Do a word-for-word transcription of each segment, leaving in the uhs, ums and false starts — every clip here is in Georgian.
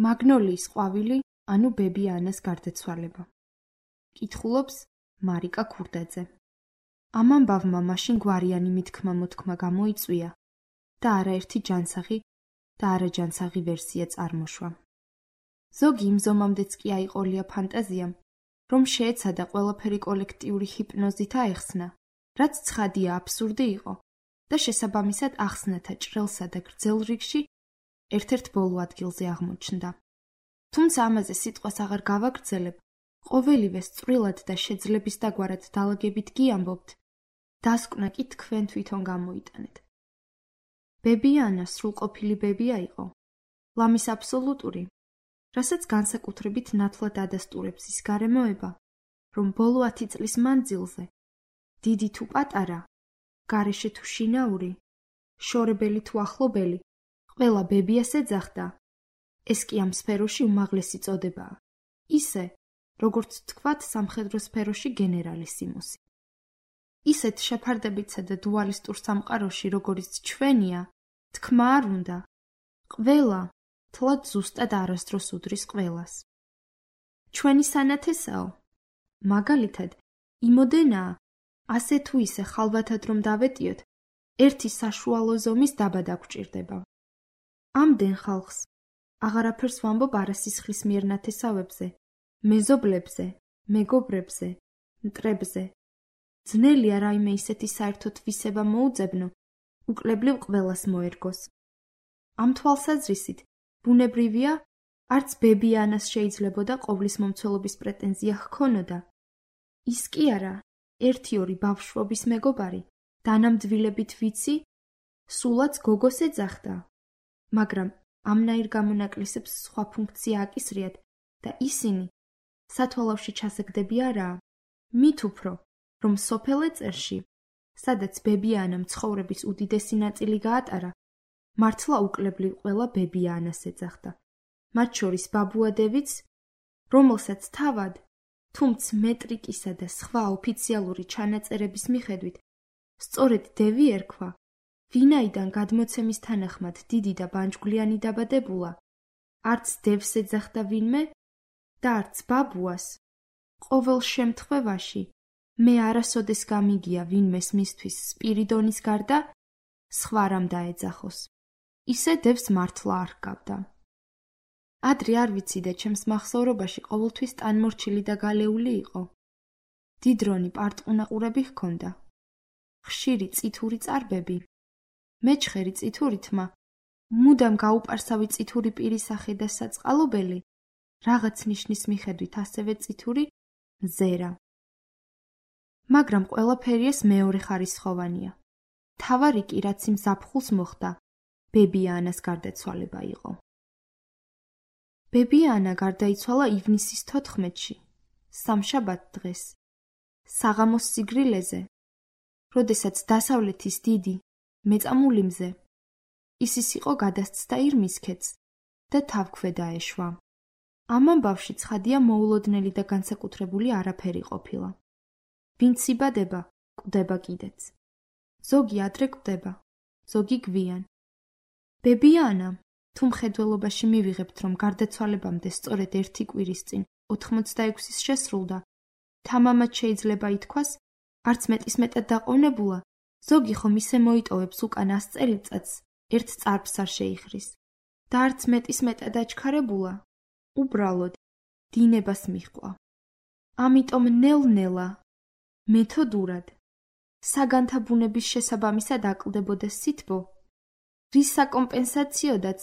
მაგნოლიის ყვავილი, ანუ ბები ანას გარდაცვალება. კითხულობს მარიკა ქურდაძე. ამ ამბავმა მაშინ გვარიანი მithქმა მოთქმა გამოიწვია და არაერთი ჯანსაღი და არაჯანსაღი ვერსია წარმოშვა. ზოგი იმ ზომამდეც კი აიყოლია ფანტაზიამ, რომ შეეცადა ყველაფერი კოლექტიური ჰიპნოზით აეხსნა, რაც ცხადია აბსურდი იყო და შესაბამისად ახსნათა ჭრელსა და გრძელ რიგში ერთ-ერთ ბოლო ადგილზე აღმოჩნდა. თუმცა ამაზე სიტყვას აღარ გავაგრძელებ, ყოველივე სწრილად და შეძლების დაგვარად დალაგებით გიამბობთ, დასკვნა კი თქვენ თვითონ გამოიტანეთ. ბები ანა სრულყოფილი ბებია იყო, ლამის აბსოლუტური, რასაც განსაკუთრებით ნათლად ადასტურებს ის გარემოება, რომ ბოლო ათი წლის მანძილზე, დიდი თუ პატარა, გარეშე თუ შინაური, შორებელი თუ ახლობელი, ყველა ბებიას ეძახდა. ეს კი ამ სფეროში უმაღლესი წოდებაა, ისე, როგორც თქვათ სამხედრო სფეროში გენერალისიმუსი. ისეთ შეფარდებიცა და დუალისტურ სამყაროში, როგორიც ჩვენია, თქმა არ უნდა, ყველა თლად ზუსტად არასდროს უდრის ყველას. ჩვენი სანათესაო, მაგალითად, იმოდენაა, ასე თუ ისე ხალვათად რომ დავეტიოთ, ერთი საშუალო ზომის დაბა დაგვჭირდება. ამდენ ხალხს აღარაფერს ვამბობ არასისხლის მიერ ნათესავებზე, მეზობლებზე, მეგობრებზე, მტრებზე. ძნელია რაიმე ისეთი საერთოდ ვისება მოუძებნო, უკლებლივ ყველას მოერგოს. ამ თვალსაზრისით, ბუნებრივია, არც ბები ანას შეიძლებოდა ყოვლის მომცველობის პრეტენზია ჰქონოდა. ის კი არა, ერთი-ორი ბავშვობის მეგობარი, დანამდვილებით ვიცი, სულაც გოგოს ეძახდა. მაგრამ ამნაირ გამონაკლისებს სხვა ფუნქცია აკისრიათ და ისინი სათვალავში ჩასაგდები არაა, მით უფრო, რომ სოფელ ეწერში, სადაც ბები ანამ ცხოვრების უდიდესი ნაწილი გაატარა, მართლა უკლებლივ ყველა ბები ანას ეძახდა, მათ შორის ბაბუადევიც, რომელსაც თავად, თუმც მეტრიკისა და სხვა ოფიციალური ჩანაწერების მიხედვით, სწორედ დევი ერქვა, ვინაიდან გადმოცემის თანახმად დიდი და ბანჯგვლიანი დაბადებულა, არც დევს ეძახდა ვინმე და არც ბაბუას. ყოველ შემთხვევაში, მე არასოდეს გამიგია ვინმეს მისთვის სპირიდონის გარდა, სხვა რამ დაეძახოს. ისე დევს მართლა არ ჰგავდა. ადრე არ ვიცი და ჩემს მახსოვრობაში ყოველთვის ტანმორჩილი და გალეული იყო. დიდრონი პარტყუნაყურები ჰქონდა. ხშირი წითური წარბები. მეჩხერი წითური თმა, მუდამ გაუპარსავი წითური პირისახე და საწყალობელი, რაღაც ნიშნის მიხედვით ასევე წითური მზერა. მაგრამ ყველაფერი ეს მეორე ხარისხოვანია. თავარი კი რაც იმ ზაფხულს მოხდა, ბები ანას გარდაცვალება იყო. ბები ანა გარდაიცვალა ივნისის თოთხმეტში, სამშაბათ დღეს, საღამოს სიგრილეზე, როდესაც დასავლეთის დიდი, მეწამული მზე, ისის იყო გადასცდა ირმისქედს და თავქვე დაეშვა. ამ ამბავში ცხადია მოულოდნელი და განსაკუთრებული არაფერი ყოფილა. ვინც იბადება, კვდება კიდეც. ზოგი ადრე კვდება, ზოგი გვიან. ბები ანა, თუ მხედველობაში მივიღებთ, რომ გარდაცვალებამდე სწორედ ერთი კვირის წინ ოთხმოცდაექვსის შესრულდა, თამამად შეიძლება ითქვას, არც მეტის მეტად დაყოვნებულა, ზოგი ხომ ისე მოიტოვებს უკან ას წელიწადს, ერთ წარბს არ შეიხრის და არც მეტის მეტად აჩქარებულა, უბრალოდ დინებას მიჰყვა. ამიტომ ნელ-ნელა, მეთოდურად, საგანთა ბუნების შესაბამისად აკლდებოდა სითბო, რის საკომპენსაციოდაც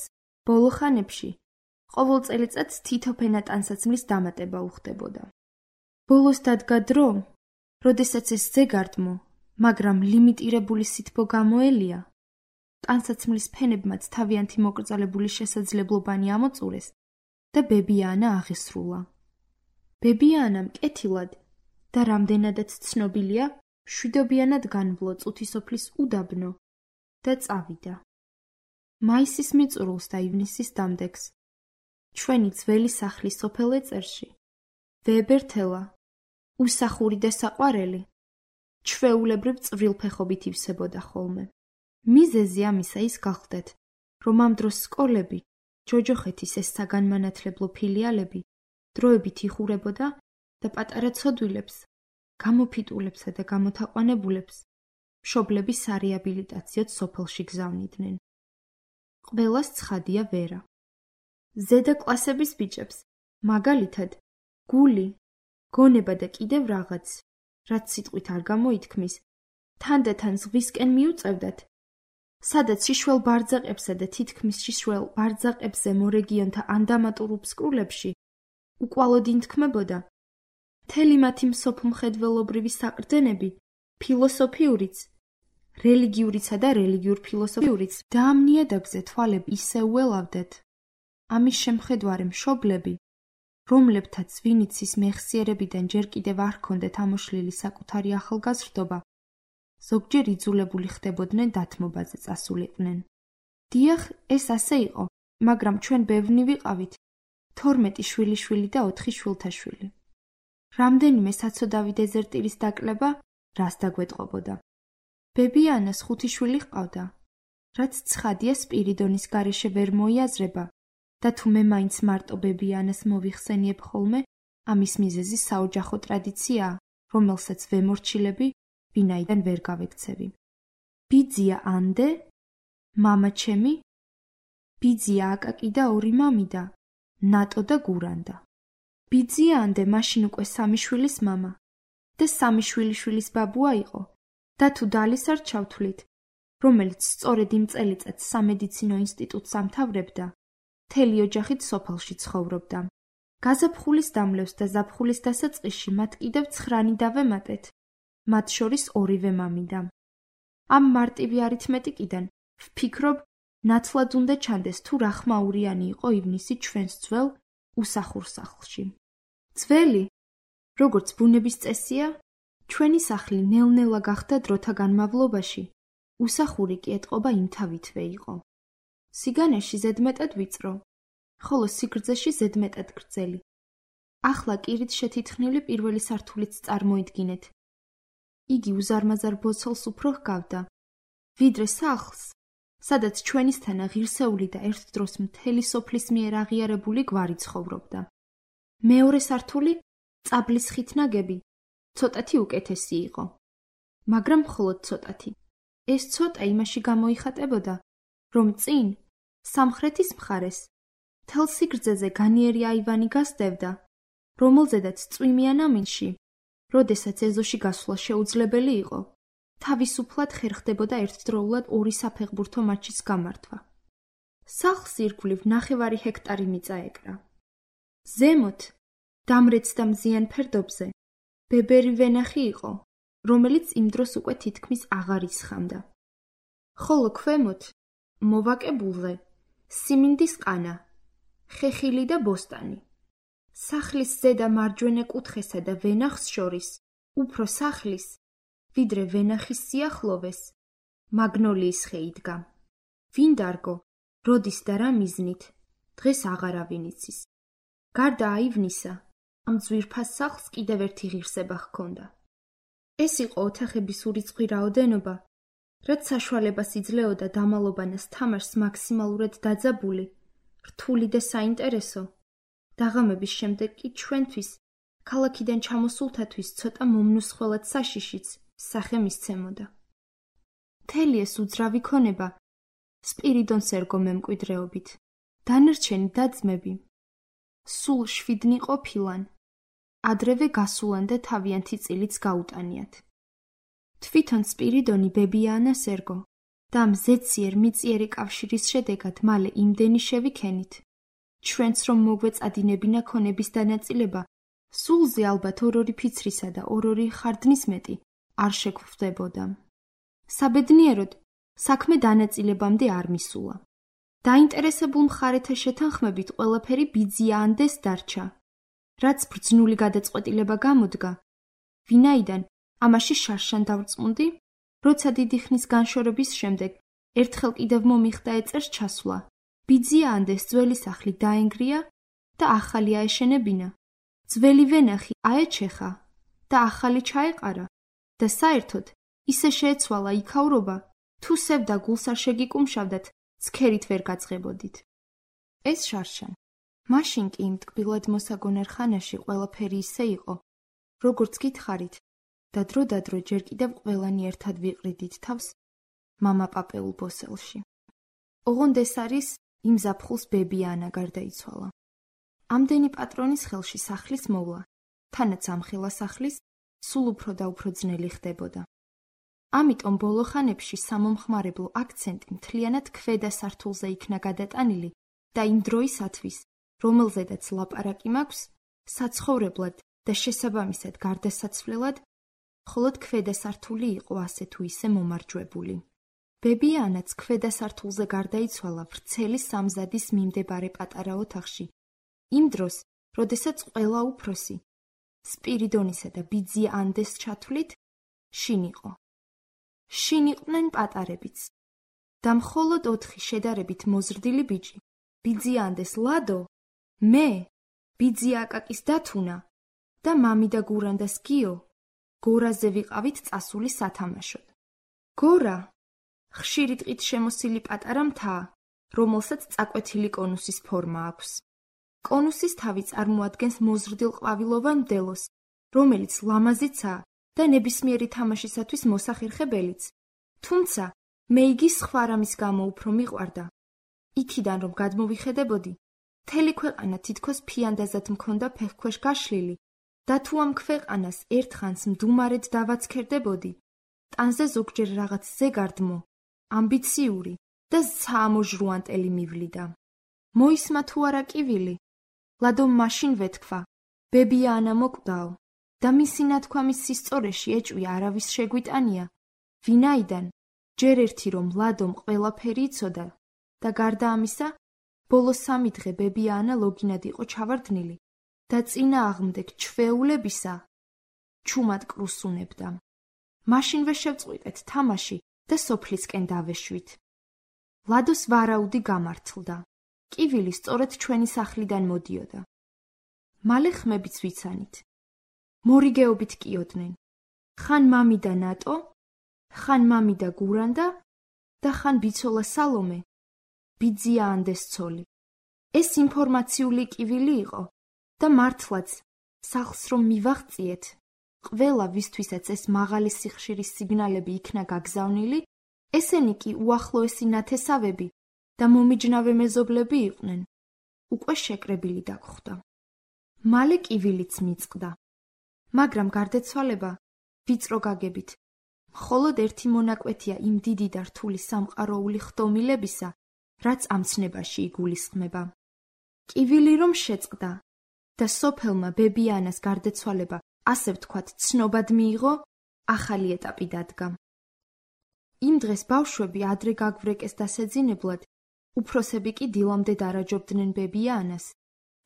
ბოლო ხანებში ყოველ წელიწადს თითო ფენა ტანსაცმლის დამატება უხდებოდა. ბოლოს დადგა დრო, როდესაც ეს ზეგარდმო, მაგრამ ლიმიტირებული სითბო გამოელია, ტანსაცმლის ფენებმაც თავიანთი მოკრძალებული შესაძლებლობანი ამოწურეს და ბები ანა აღესრულა. ბები ანამ კეთილად და რამდენადაც ცნობილია, შვიდობიანად განვლო წუთისოფლის უდაბნო და წავიდა. მაისის მიწურულს და ივნისის დამდეგს, ჩვენი ძველი სახლი სოფელ ეწერში, ვეებერთელა, უსახური და საყვარელი, ჩვეულებრივ წვრილფეხობით ივსებოდა ხოლმე. მიზეზი ამისა ის გახლდეთ, რომ ამ დროს სკოლები, ჯოჯოხეთის ეს საგანმანათლებლო ფილიალები დროებით იხურებოდა და პატარა ცოდვილებს, გამოფიტულებსა და გამოთაყვანებულებს მშობლების სარეაბილიტაციოდ სოფელში გზავნიდნენ. ყველას ცხადია ვერა. ზედა კლასების ბიჭებს, მაგალითად, გული, გონება და კიდევ რაღაც, რაც სიტყვით არ გამოითქმის, თანდათან ზღვისკენ მიუწევდათ, სადაც შიშველ ბარძაყებსა და თითქმის შიშველ ბარძაყებზე მორეგიონთა ანდამატურ უბსკრულებში უკვალოდ ინთქმებოდა მთელი მათი მსოფლმხედველობრივი საყრდენები, ფილოსოფიურიც, რელიგიურიცა და რელიგიურ ფილოსოფიურიც და ამ ნიადაგზე თვალები ისე უელავდათ. ამის შემხედვარე მშობლები, რომლებთაც ვინიცის მეხსიერებიდან ჯერ კიდევ არ ჰქონდათ ამოშლილი საკუთარი ახალგაზრდობა, ზოგჯერ იძულებული ხდებოდნენ დათმობაზე წასულიყვნენ. დიახ, ეს ასე იყო, მაგრამ ჩვენ ბევრნი ვიყავით, თორმეტი შვილიშვილი და ოთხი შვილთაშვილი. რამდენიმე საცოდავი დეზერტირის დაკლება რას დაგვეტყობოდა? ბებიანას ხუთი შვილი ჰყავდა, რაც ცხადია სპირიდონის გარეშე ვერ მოიაზრება და თუ მე მაინც მარტო ბებიანას მოვიხსენიებ ხოლმე, ამის მიზეზი საოჯახო ტრადიციაა, რომელსაც ვემორჩილები, ვინაიდან ვერ გავექცევი. ბიძია ანდე, მამა ჩემი, ბიძია აკაკი და ორი მამიდა, ნატო და გურანდა. ბიძია ანდე მაშინ უკვე სამი შვილის მამა და სამი შვილიშვილის ბაბუა იყო და თუ დალის არ ჩავთვლით, რომელიც სწორედ იმ წელიწადს სამედიცინო ინსტიტუტს ამთავრებდა, მთელი ოჯახით სოფელში ცხოვრობდა. გაზაფხულის დამლევს და ზაფხულის დასაწყისში მათ კიდევ ცხრანი დავემატეთ, მათ შორის ორივე მამიდა. ამ მარტივი არითმეტიკიდან ვფიქრობ, ნაცვლად უნდა ჩანდეს თუ რა ხმაურიანი იყო ივნისი ჩვენს ძველ უსახურ სახლში. ძველი, როგორც ბუნების წესია, ჩვენი სახლი ნელ-ნელა გახდა დროთა განმავლობაში, უსახური კი ეტყობა იმთავითვე იყო. სიგანეში ზედმეტად ვიწრო, ხოლო სიგრძეში ზედმეტად გრძელი. ახლა კირით შეთითხნილი პირველი სართულიც წარმოიდგინეთ. იგი უზარმაზარ ბოცელს უფრო ჰგავდა, ვიდრე სახლს, სადაც ჩვენისთანა ღირსეული და ერთ დროს მთელი სოფლის მიერ აღიარებული გვარი ცხოვრობდა. მეორე სართული, წაბლის ხით ნაგები, ცოტათი უკეთესი იყო. მაგრამ მხოლოდ ცოტათი. ეს ცოტა იმაში გამოიხატებოდა, რომ წინ, სამხრეთის მხარეს, მთელ სიგრძეზე განიერი აივანი გასდევდა, რომელზედაც წვიმიან ამინში, როდესაც ეზოში გასვლა შეუძლებელი იყო, თავისუფლად ხერხდებოდა ერთდროულად ორი საფეხბურთო მატჩის გამართვა. სახლს ირგვლივ ნახევარი ჰექტარი მიწა ეკრა. ზემოთ, დამრეც და მზიან ფერდობზე, ბებერი ვენახი იყო, რომელიც იმ დროს უკვე თითქმის აღარ ისხამდა. ხოლო ქვემოთ, მოვაკებულზე, სიმინდის ყანა, ხეხილი და ბოსტანი. სახლის ზედა მარჯვენა კუთხესა და ვენახს შორის, უფრო სახლის, ვიდრე ვენახის სიახლოვეს, მაგნოლიის ხე იდგა. ვინ დარგო, როდის და რა მიზნით, დღეს აღარავინ იცის. გარდა აივნისა, ამ ძვირფას სახლს კიდევ ერთი ღირსება ჰქონდა. ეს იყო ოთახების ურიცხვი რაოდენობა, რაც საშუალებას იძლეოდა დამალობანას თამაშს მაქსიმალურად დაძაბული, რთული და საინტერესო, დაღამების შემდეგ კი ჩვენთვის, ქალაქიდან ჩამოსულთათვის ცოტა მომნუსხველად საშიშიც სახე მისცემოდა. მთელი ეს უძრავი ქონება სპირიდონს ერგო მემკვიდრეობით, დანარჩენი და-ძმები სულ შვიდნი ყოფილან, ადრევე გასულან და თავიანთი წილიც გაუტანიათ. თვითონ სპირიდონი ბებიანას ერგო და ამ ზეციერ მიწიერი კავშირის შედეგად მალე იმდენი შევიქენით, ჩვენც რომ მოგვეწადინებინა ქონების დანაწილება, სულზე ალბათ ორ-ორი ფიცრისა და ორ-ორი ხარდნის მეტი არ შეგვხვდებოდა. საბედნიეროდ, საქმე დანაწილებამდე არ მისულა. დაინტერესებულ მხარეთა შეთანხმებით ყველაფერი ბიძია ანდეს დარჩა, რაც ბრძნული გადაწყვეტილება გამოდგა, ვინაიდან ამაში შარშან დავწმუნდი, როცა დიდი ხნის განშორების შემდეგ ერთხელ კიდევ მომიხდა ეწერს ჩასვლა. ბიძია ანდეს ძველი სახლი დაენგრია და ახალი აეშენებინა. ძველი ვენახი აეჩეხა და ახალი ჩაეყარა და საერთოდ ისე შეეცვალა იქაურობა, თუ სევდა გულს არ შეგიკუმშავდათ, ცქერით ვერ გაძღებოდით. ეს შარშან. მაშინ კი იმ ტკბილად მოსაგონარ ხანაში ყველაფერი ისე იყო, როგორც გითხარით, და დრო-დადრო ჯერ კიდევ ყველანი ერთად ვიყრიდით თავს მამა პაპეულ ბოსელში. ოღონდ ეს არის იმ ზაფხულს ბები ანა გარდაიცვალა. ამდენი პატრონის ხელში სახლის მოვლა, თანაც ამხელა სახლის სულ უფრო და უფრო ძნელი ხდებოდა. ამიტომ ბოლო ხანებში სამომხმარებლო აქცენტი მთლიანად ქვედა სართულზე იქნა გადატანილი და იმ დროისათვის, რომელზედაც ლაპარაკი მაქვს, საცხოვრებლად და შესაბამისად გარდასაცვლელად, მხოლოდ ქვედა სართული იყო ასე თუ ისე მომარჯვებული. ბები ანაც ქვედა სართულზე გარდაიცვალა ვრცელი სამზადის მიმდებარე პატარა ოთახში, იმ დროს, როდესაც ყველა უფროსი, სპირიდონისა და ბიძია ანდეს ჩათვლით, შინ იყო. შინ იყვნენ პატარებიც და მხოლოდ ოთხი შედარებით მოზრდილი ბიჭი, ბიძია ანდეს ლადო, მე, ბიძია აკაკის დათუნა და მამი და გურანდას გიო გორაზე ვიყავით წასული სათამაშოდ. გორა ხშირი ტყით შემოსილი პატარა მთა, რომელსაც წაკვეთილი კონუსის ფორმა აქვს. კონუსის თავი წარმოადგენს მოზრდილ ყვავილოვან მდელოს, რომელიც ლამაზიცაა და ნებისმიერი თამაშისათვის მოსახერხებელიც, თუმცა მე იგი სხვა რამის გამო უფრო მიყვარდა. იქიდან რომ გადმოვიხედებოდი, მთელი ქვეყანა თითქოს ფიანდაზად მქონდა ფეხქვეშ გაშლილი და თუ ამ ქვეყანას ერთხანს მდუმარედ დავაცქერდებოდი, ტანზე ზოგჯერ რაღაც ზეგარდმო, ამბიციური და საამოჟრუანტელი მივლიდა. მოისმა თუ არა კივილი, ლადომ მაშინ ვეთქვა, ბებია ანა მოკვდაო და მისი ნათქვამის სისწორეში ეჭვი არავის შეგვიტანია, ვინაიდან ჯერ ერთი რომ ლადომ ყველაფერი იცოდა და გარდა ამისა, ბოლო სამი დღე ბებია ანა ლოგინად იყო ჩავარდნილი და წინააღმდეგ ჩვეულებისა ჩუმად კრუსუნებდა. მაშინვე შევწყვიტეთ თამაში და სოფლისკენ დავეშვით. ლადოს ვარაუდი გამართლდა. კივილი სწორედ ჩვენი სახლიდან მოდიოდა. მალე ხმებიც ვიცანით. მორიგეობით კიოდნენ. ხან მამი და ნატო, ხან მამი და გურანდა და ხან ბიცოლა სალომე, ბიძია ანდეს ცოლი. ეს ინფორმაციული კივილი იყო და მართლაც სახლს რომ მივაღწიეთ, ყველა ვისთვისაც ეს მაღალი სიხშირის სიგნალები იქნა გაგზავნილი, ესენი კი უახლოესი ნათესავები და მომიჯნავე მეზობლები იყვნენ, უკვე შეკრებილი დაგხვდა. მალე კივილიც მიწყდა, მაგრამ გარდაცვალება ვიწრო გაგებით, მხოლოდ ერთი მონაკვეთია იმ დიდი და რთული სამყაროული ხდომილებისა, რაც ამ ცნებაში იგულისხმება. კივილი რომ შეწყდა და სოფელმა ბებია ანას გარდაცვალება, ასე ვთქვათ, ცნობად მიიღო, ახალი ეტაპი დადგა. იმ დღეს ბავშვები ადრე გაგვრეკეს დასეძინებლად, უფროსები კი დილამდე დარაჯობდნენ ბებია ანას,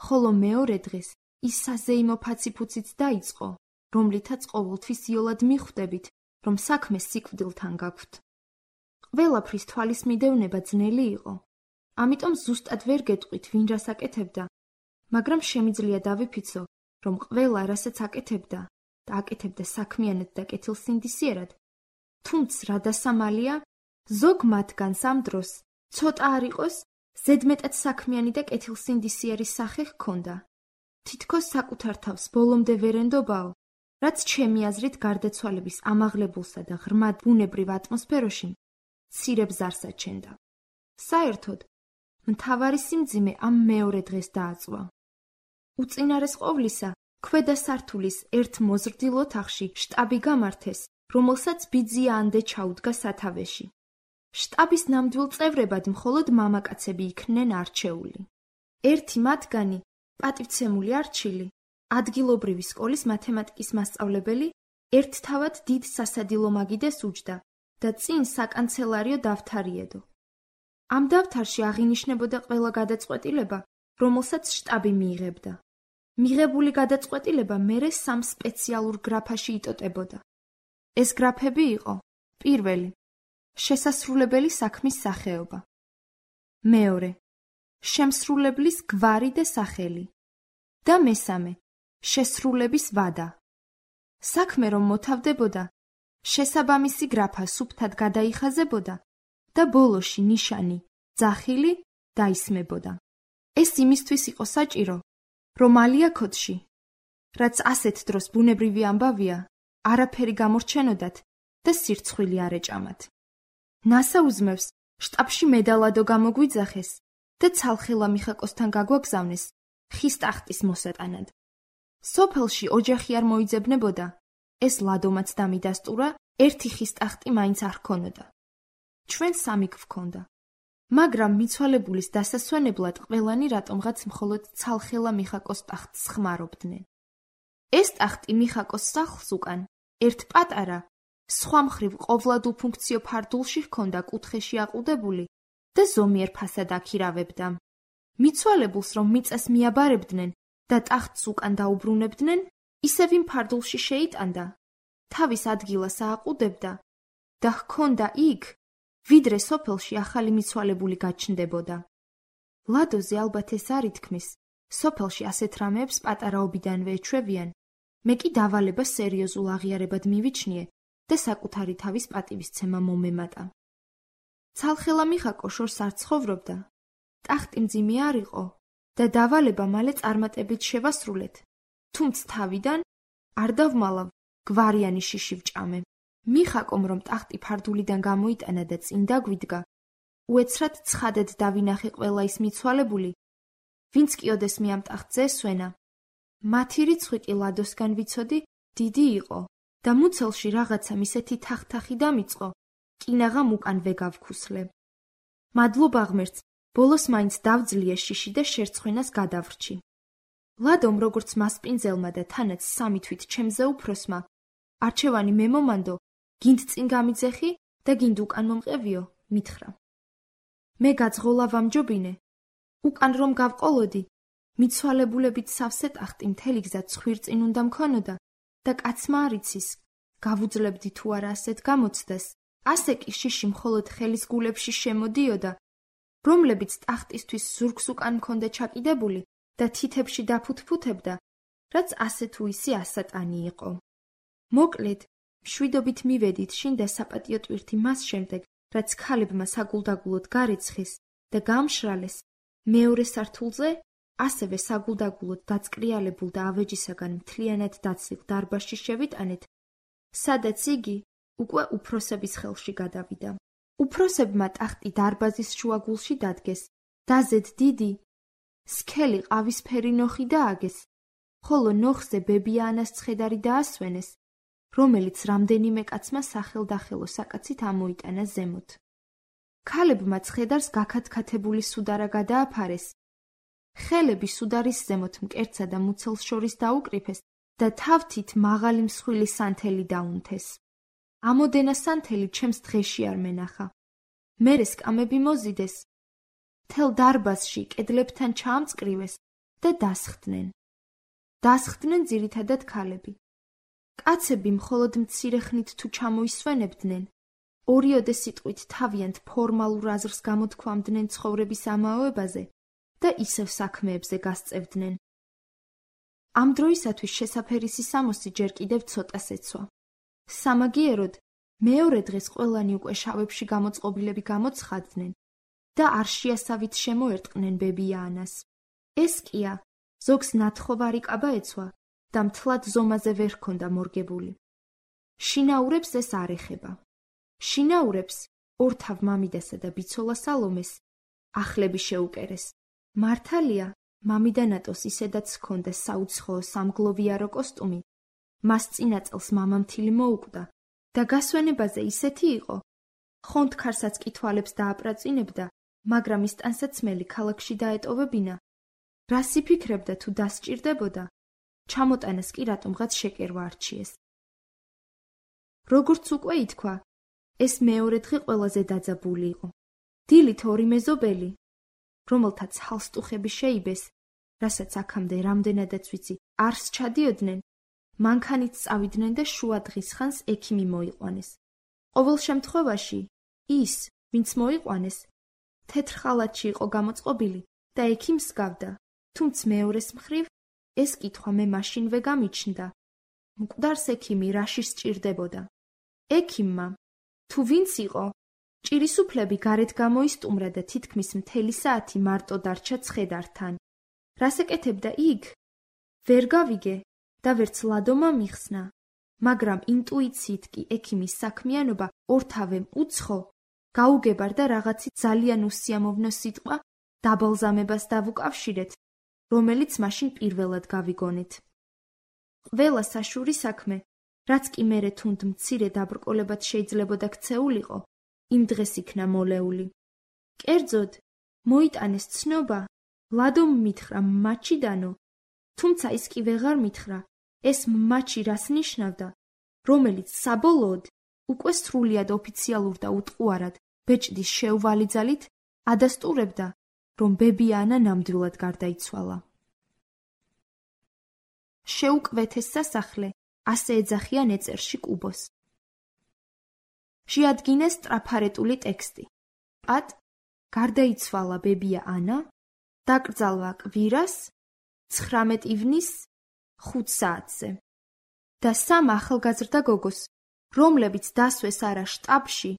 ხოლო მეორე დღეს ის საზეიმო ფაციფუციც დაიწყო, რომლითაც ყოველთვის იოლად მიხვდებით, რომ საქმე სიკვდილთან გაქვთ. ყველაფრის თვალის მიდევნება ძნელი იყო, ამიტომ ზუსტად ვერ გეტყვით, ვინ რას აკეთებდა, მაგრამ შემიძლია დავიფიცო, რომ ყველა რასაც აკეთებდა და აკეთებდა საქმიანად და კეთილსინდისიერად, თუმცა რა დასამალია, ზოგ მათგანს ამ დროს ცოტა არ იყოს, ზედმეტად საქმიანი და კეთილსინდისიერი სახე ჰქონდა. თითქოს საკუთარ თავს ბოლომდე ვერ ენდობაო, რაც ჩემი აზრით გარდაცვალების ამაღლებულსა და ღრმად ბუნებრივ ატმოსფეროში მცირე ბზარს აჩენდა. საერთოდ, მთავარი სიმძიმე ამ მეორე დღეს დააწვა. უწინარეს ყოვლისა, ქვედა სართულის ერთ მოზრდილ ოთახში შტაბი გამართეს, რომელსაც ბიძია ანდე ჩაუდგა სათავეში. შტაბის ნამდვილ წევრებად მხოლოდ მამაკაცები იქნენ არჩეული. ერთი მათგანი, პატივცემული არჩილი, ადგილობრივი სკოლის მათემატიკის მასწავლებელი, ერთთავად დიდ სასადილო მაგიდეს უჯდა და წინ საკანცელარიო დავთარიედო. ამ დავთარში აღინიშნებოდა ყველა გადაწყვეტილება, რომელსაც შტაბი მიიღებდა. მიღებული გადაწყვეტილება მერე სამ სპეციალურ გრაფაში იტოტებოდა. ეს გრაფები იყო: პირველი, შესასრულებელი საქმის სახეობა; მეორე, შემსრულებლის გვარი და სახელი; და მესამე, შესრულების ვადა. საქმე რომ მოთავდებოდა, შესაბამისი გრაფა სუფთად გადაიხაზებოდა და ბოლოში ნიშანი, ძახილი დაისმებოდა. ეს იმისთვის იყო საჭირო, რომ ალია ქოდში, რაც ასეთ დროს ბუნებრივი ამბავია, არაფერი გამორჩენოდათ და სირცხვილი არ ეჭამათ. ნასა უზმევს შტაბში მედალადო გამოგვიძახეს და ცალხელა მიხაკოსთან გაგვაგზავნეს ხის ტახტის მოსატანად. სოფელში ოჯახი არ მოიძებნებოდა, ეს ლადომაც დამიდასტურა, ერთი ხის ტახტი მაინც არ ჰქონოდა. ჩვენ სამი გვქონდა, მაგრამ მიცვალებულის დასასვენებლად ყველანი რატომღაც მხოლოდ ცალხელა მიხაკოს ტახტს ხმარობდნენ. ეს ტახტი მიხაკოს სახლს უკან ერთ პატარა, სხვა მხრივ ყოვლად უფუნქციო ფარდულში ჰქონდა კუთხეში აყუდებული და ზომიერ ფასად აქირავებდა. მიცვალებულს რომ მიწას მიაბარებდნენ და ტახტს უკან დაუბრუნებდნენ, ისევ იმ ფარდულში შეიტანდა, თავის ადგილას ააყუდებდა და ჰქონდა იქ, ვიდრე სოფელში ახალი მიცვალებული გაჩნდებოდა. ლადოზე ალბათ ეს არ ითქმის, სოფელში ასეთ რამეებს პატარაობიდანვე ეჩვევიან, მე კი დავალება სერიოზულ აღიარებად მივიჩნიე და საკუთარი თავის პატივისცემა მომემატა. ცალხელა მიხაკო შორს არ ცხოვრობდა, ტახტი მძიმე არ იყო და დავალება მალე წარმატებით შევასრულეთ, თუმცა თავიდან არ დავმალავ გვარიანი შიში ვჭამე. მიხაკომ რომ ტახტი ფარდულიდან გამოიტანა და წინ დაგვიდგა, უეცრად ცხადად დავინახე ყველა ის მიცვალებული, ვინც კი ოდესმე ამ ტახტზე ესვენა. მათი რიცხვი კი ლადოსგან ვიცოდი, დიდი იყო და მუცელში რაღაცამ ისეთი თახთახი დამიწყო, კინაღამ უკან ვეგავქუსლე. მადლობა ღმერთს, ბოლოს მაინც დავძლიე შიში და შერცხვენას გადავრჩი. ლადომ როგორც მასპინძელმა და თანაც სამი თვით ჩემზე უფროსმა, არჩევანი მე მომანდო, გინდ წინ გამიძეხი და გინდ უკან მომყევიო, მითხრა. მე გაძღოლა ვამჯობინე, უკან რომ გავყოლოდი, მიცვალებულებით სავსე ტახტი მთელი გზა ცხვირ წინ უნდა მქონოდა და კაცმა არ იცის, გავუძლებდი თუ არა ასეთ გამოცდას, ასე კი შიში მხოლოდ ხელის გულებში შემოდიოდა, რომლებიც ტახტისთვის ზურგს უკან მქონდა ჩაკიდებული და თითებში დაფუთფუთებდა, რაც ასე თუ ისი ასატანი იყო. მოკლედ, მშვიდობით მივედით შინ და საპატიო ტვირთი მას შემდეგ, რაც ქალებმა საგულდაგულოდ გარეცხეს და გამშრალეს, მეორე სართულზე, ასევე საგულდაგულოდ დაწკრიალებულ და ავეჯისაგან მთლიანად დაცლილ დარბაზში შევიტანეთ, სადაც იგი უკვე უფროსების ხელში გადავიდა. უფროსებმა ტახტი დარბაზის შუაგულში დადგეს, დაზედ დიდი, სქელი ყავისფერი ნოხი დააგეს, ხოლო ნოხზე ბებიაანას ცხედარი დაასვენეს, რომელიც რამდენიმე კაცმა სახელდახელო საკაცით ამოიტანა ზემოთ. ქალებმა ცხედარს გაქათქათებული სუდარა გადააფარეს, ხელები სუდარის ზემოთ მკერცსა და მუცელს შორის დაუკრიფეს და თავთით მაღალი მსხვილი სანთელი დაუნთეს. ამოდენა სანთელი ჩემს დღეში არ მენახა. მერე სკამები მოზიდეს, მთელ დარბაზში კედლებთან ჩაამწკრივეს და დასხდნენ. დასხდნენ ძირითადად ქალები. კაცები მხოლოდ მცირე ხნით თუ ჩამოისვენებდნენ, ორიოდე სიტყვით თავიანთ ფორმალურ აზრს გამოთქვამდნენ ცხოვრების ამაოებაზე და ისევ საქმეებზე გასწევდნენ. ამ დროისათვის შესაფერისი სამოსი ჯერ კიდევ ცოტას ეცვა. სამაგიეროდ, მეორე დღეს ყველანი უკვე შავებში გამოწყობილები გამოცხადდნენ და არ შეასავით შემოერტყნენ ბებიაანას. ეს კია, ზოგს ნათხოვარი კაბა ეცვა და მთლად ზომაზე ვერ ჰქონდა მორგებული. შინაურებს ეს არ ეხება. შინაურებს, ორთავ მამიდასა და ბიცოლა სალომეს, ახლები შეუკერეს. მართალია, მამიდანატოს ისედაც ჰქონდა საუცხოო სამგლოვიარო კოსტუმი, მას წინა წელს მამამთილი მოუკვდა და გასვენებაზე ისეთი იყო, ხონდქარსაც კი თვალებს დააპრაწინებდა, მაგრამ ის ტანსაცმელი ქალაქში დაეტოვებინა. რას იფიქრებდა თუ დასჭირდებოდა, ჩამოტანას კი რატომღაც შეკერვა არჩიეს. როგორც უკვე ითქვა, ეს მეორე დღე ყველაზე დაძაბული იყო. დილით ორი მეზობელი, რომელთაც ჰალსტუხები შეიბეს, რასაც აქამდე რამდენადაც ვიცი, არს ჩადიოდნენ, მანქანით წავიდნენ და შუა დღის ხანს ექიმი მოიყვანეს. ყოველ შემთხვევაში, ის, ვინც მოიყვანეს, თეთრ ხალათში იყო გამოწყობილი და ექიმს გავდა, თუმცა მეორეს მხრივ, ეს კითხვა მე მაშინვე გამიჩნდა. მკვდარს ექიმი რაში სჭირდებოდა? ექიმმა, თუ ვინც იყო, ჭირისუფლები გარეთ გამოისტუმრა და თითქმის მთელი საათი მარტო დარჩა ცხედართან. რას ეკეთებდა იქ? ვერ გავიგე და ვერც ლადომა მიხსნა, მაგრამ ინტუიციით კი ექიმის საქმიანობა ორთავემ უცხო, გაუგებარდა რაღაცით ძალიან უსიამოვნო სიტყვა დაბალზამებას დავუკავშირეთ, რომელიც მაშინ პირველად გავიგონეთ. ყველა საშური საქმე, რაც კი მერე თუნდ მცირე დაბრკოლებად შეიძლებოდა ქცეულიყო, იმ დღეს იქნა მოლეული. კერძოდ, მოიტანეს ცნობა, ლადომ მითხრა მაჩიდანო, თუმცა ის კი ვეღარ მითხრა, ეს მაჩი რას ნიშნავდა, რომელიც საბოლოოდ უკვე სრულიად ოფიციალურ და უტყუარად ბეჭდის შეუვალი ძალით ადასტურებდა, რომ ბებიანა ნამდვილად გარდაიცვალა. შეუკვეთეს სასახლე ასე ეძახიან ეწერში კუბოს. შეადგინეს ტრაფარეტული ტექსტი. პატ, გარდაიცვალა ბებია ანა, დაკრძალვა კვირას, ცხრამეტ ივნის ხუთ საათზე. და სამ ახალგაზრდა გოგოს, რომლებიც დასვეს არა შტაბში,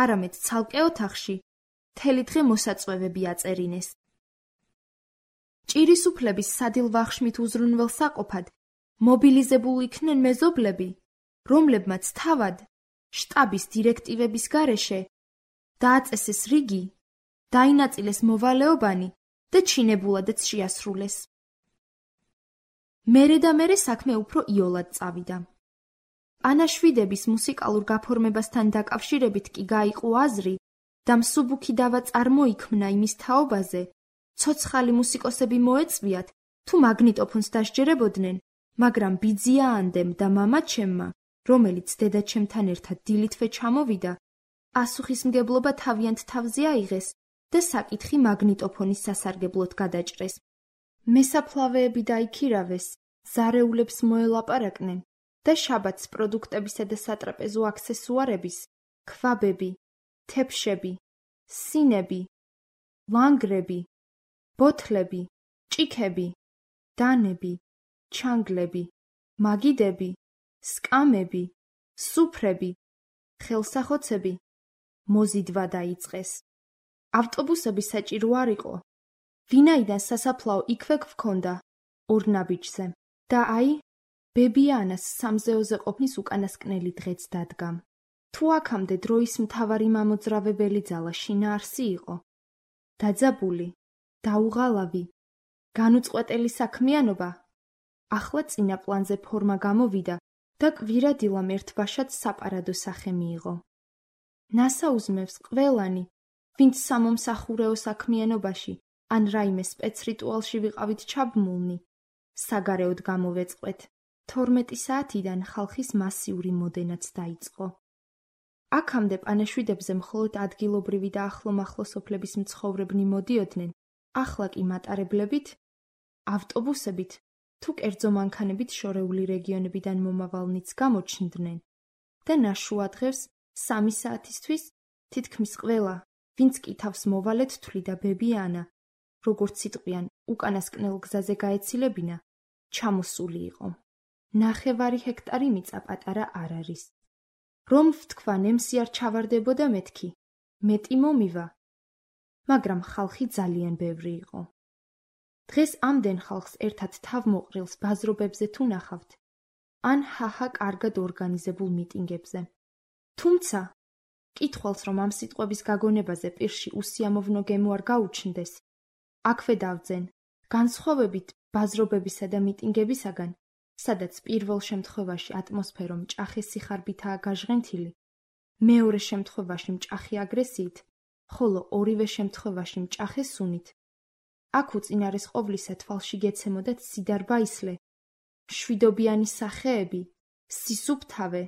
არამედ ცალკე ოთახში, მთელი დღე მოსაწვევები აწერინეს. ჭირისუფლების სადილვახშმით უზრუნველსაყოფად მობილიზებულ იქნენ მეზობლები, რომლებმაც თავად შტაბის დირექტივების გარეშე დააწესეს რიგი, დაინაწილეს მოვალეობანი და ჩინებულადაც შეასრულეს. მერე და მერე საქმე უფრო იოლად წავიდა. პანაშვიდების მუსიკალურ გაფორმებასთან დაკავშირებით კი გაიყო აზრი და მსუბუქი დავა წარმოიქმნა იმის თაობაზე, ცოცხალი მუსიკოსები მოეწვიათ, თუ მაგნიტოფონს დასჯერებოდნენ, მაგრამ ბიძიაანდემ და მამაჩემმა, რომელიც დედაჩემთან ერთად დილითვე ჩამოვიდა, პასუხისმგებლობა თავიანთ თავზე აიღეს და საკითხი მაგნიტოფონის სასარგებლოდ გადაჭრეს. მესაფლავეები დაიქირავეს, ზარეულებს მოელაპარაკნენ და შაბათს პროდუქტებისა და სატრაპეზო აქსესუარების, ქვაბები, თეფშები, სინები, ლანგრები, ბოთლები, ჭიქები, დანები, ჩანგლები, მაგიდები, სკამები, სუფრები, ხელსახოცები მოზიდვა დაიწყეს. ავტობუსები საჭირო არ იყო, ვინაიდან სასაფლაო იქვე გვქონდა ორ ნაბიჯზე და აი, ბებიანას სამზეოზე ყოფნის უკანასკნელი დღეც დადგა. თუ აქამდე დროის მთავარი მამოძრავებელი ძალა შინაარსი იყო, დაძაბული, დაუღალავი, განუწყვეტელი საქმიანობა, ახლა წინა პლანზე ფორმა გამოვიდა და კვირადილამ ერთბაშად საპარადო სახე მიიღო. ნასაუზმევს ყველანი, ვინც სამომსახურეო საქმიანობაში ან რაიმე სპეცრიტუალში ვიყავით ჩაბმულნი, საგარეოდ გამოვეწყვეთ. თორმეტი საათიდან ხალხის მასიური მოდენაც დაიწყო. აქამდე პანაშვიდებზე მხოლოდ ადგილობრივი და ახლომახლო სოფლების მცხოვრებნი მოდიოდნენ, ახლა კი მატარებლებით, ავტობუსებით თუ კერძო მანქანებით შორეული რეგიონებიდან მომავალნიც გამოჩნდნენ და ნაშუა დღეს სამი საათისთვის თითქმის ყველა, ვინც კი თავს მოვალედ თვლიდა ბებიანა, როგორც იტყვიან, უკანასკნელ გზაზე გაეცილებინა, ჩამოსული იყო. ნახევარი ჰექტარი მიწა პატარა არ არის. რომ ვთქვა ნემსი არ ჩავარდებოდა მეთქი, მეტი მომივა, მაგრამ ხალხი ძალიან ბევრი იყო. დღეს ამდენ ხალხს ერთად თავმოყრილს ბაზრობებზე თუ ნახავთ, ან ჰაჰა კარგად ორგანიზებულ მიტინგებზე. თუმცა, კითხვას რომ ამ სიტყვების გაგონებაზე პირში უსიამოვნო გემო არ გაუჩნდეს, აქვე დავძენ, განსხვავებით ბაზრობებისა და მიტინგებისაგან, სადაც პირველ შემთხვევაში ატმოსფერო მჭახე სიხარბითაა გაჟღენთილი, მეორე შემთხვევაში მჭახე აგრესიით, ხოლო ორივე შემთხვევაში მჭახე სუნით. აქ უწინარესყოვლისა თვალში გეცემოდათ სიდარბაისლე, მშვიდობიანი სახეები, სისუფთავე,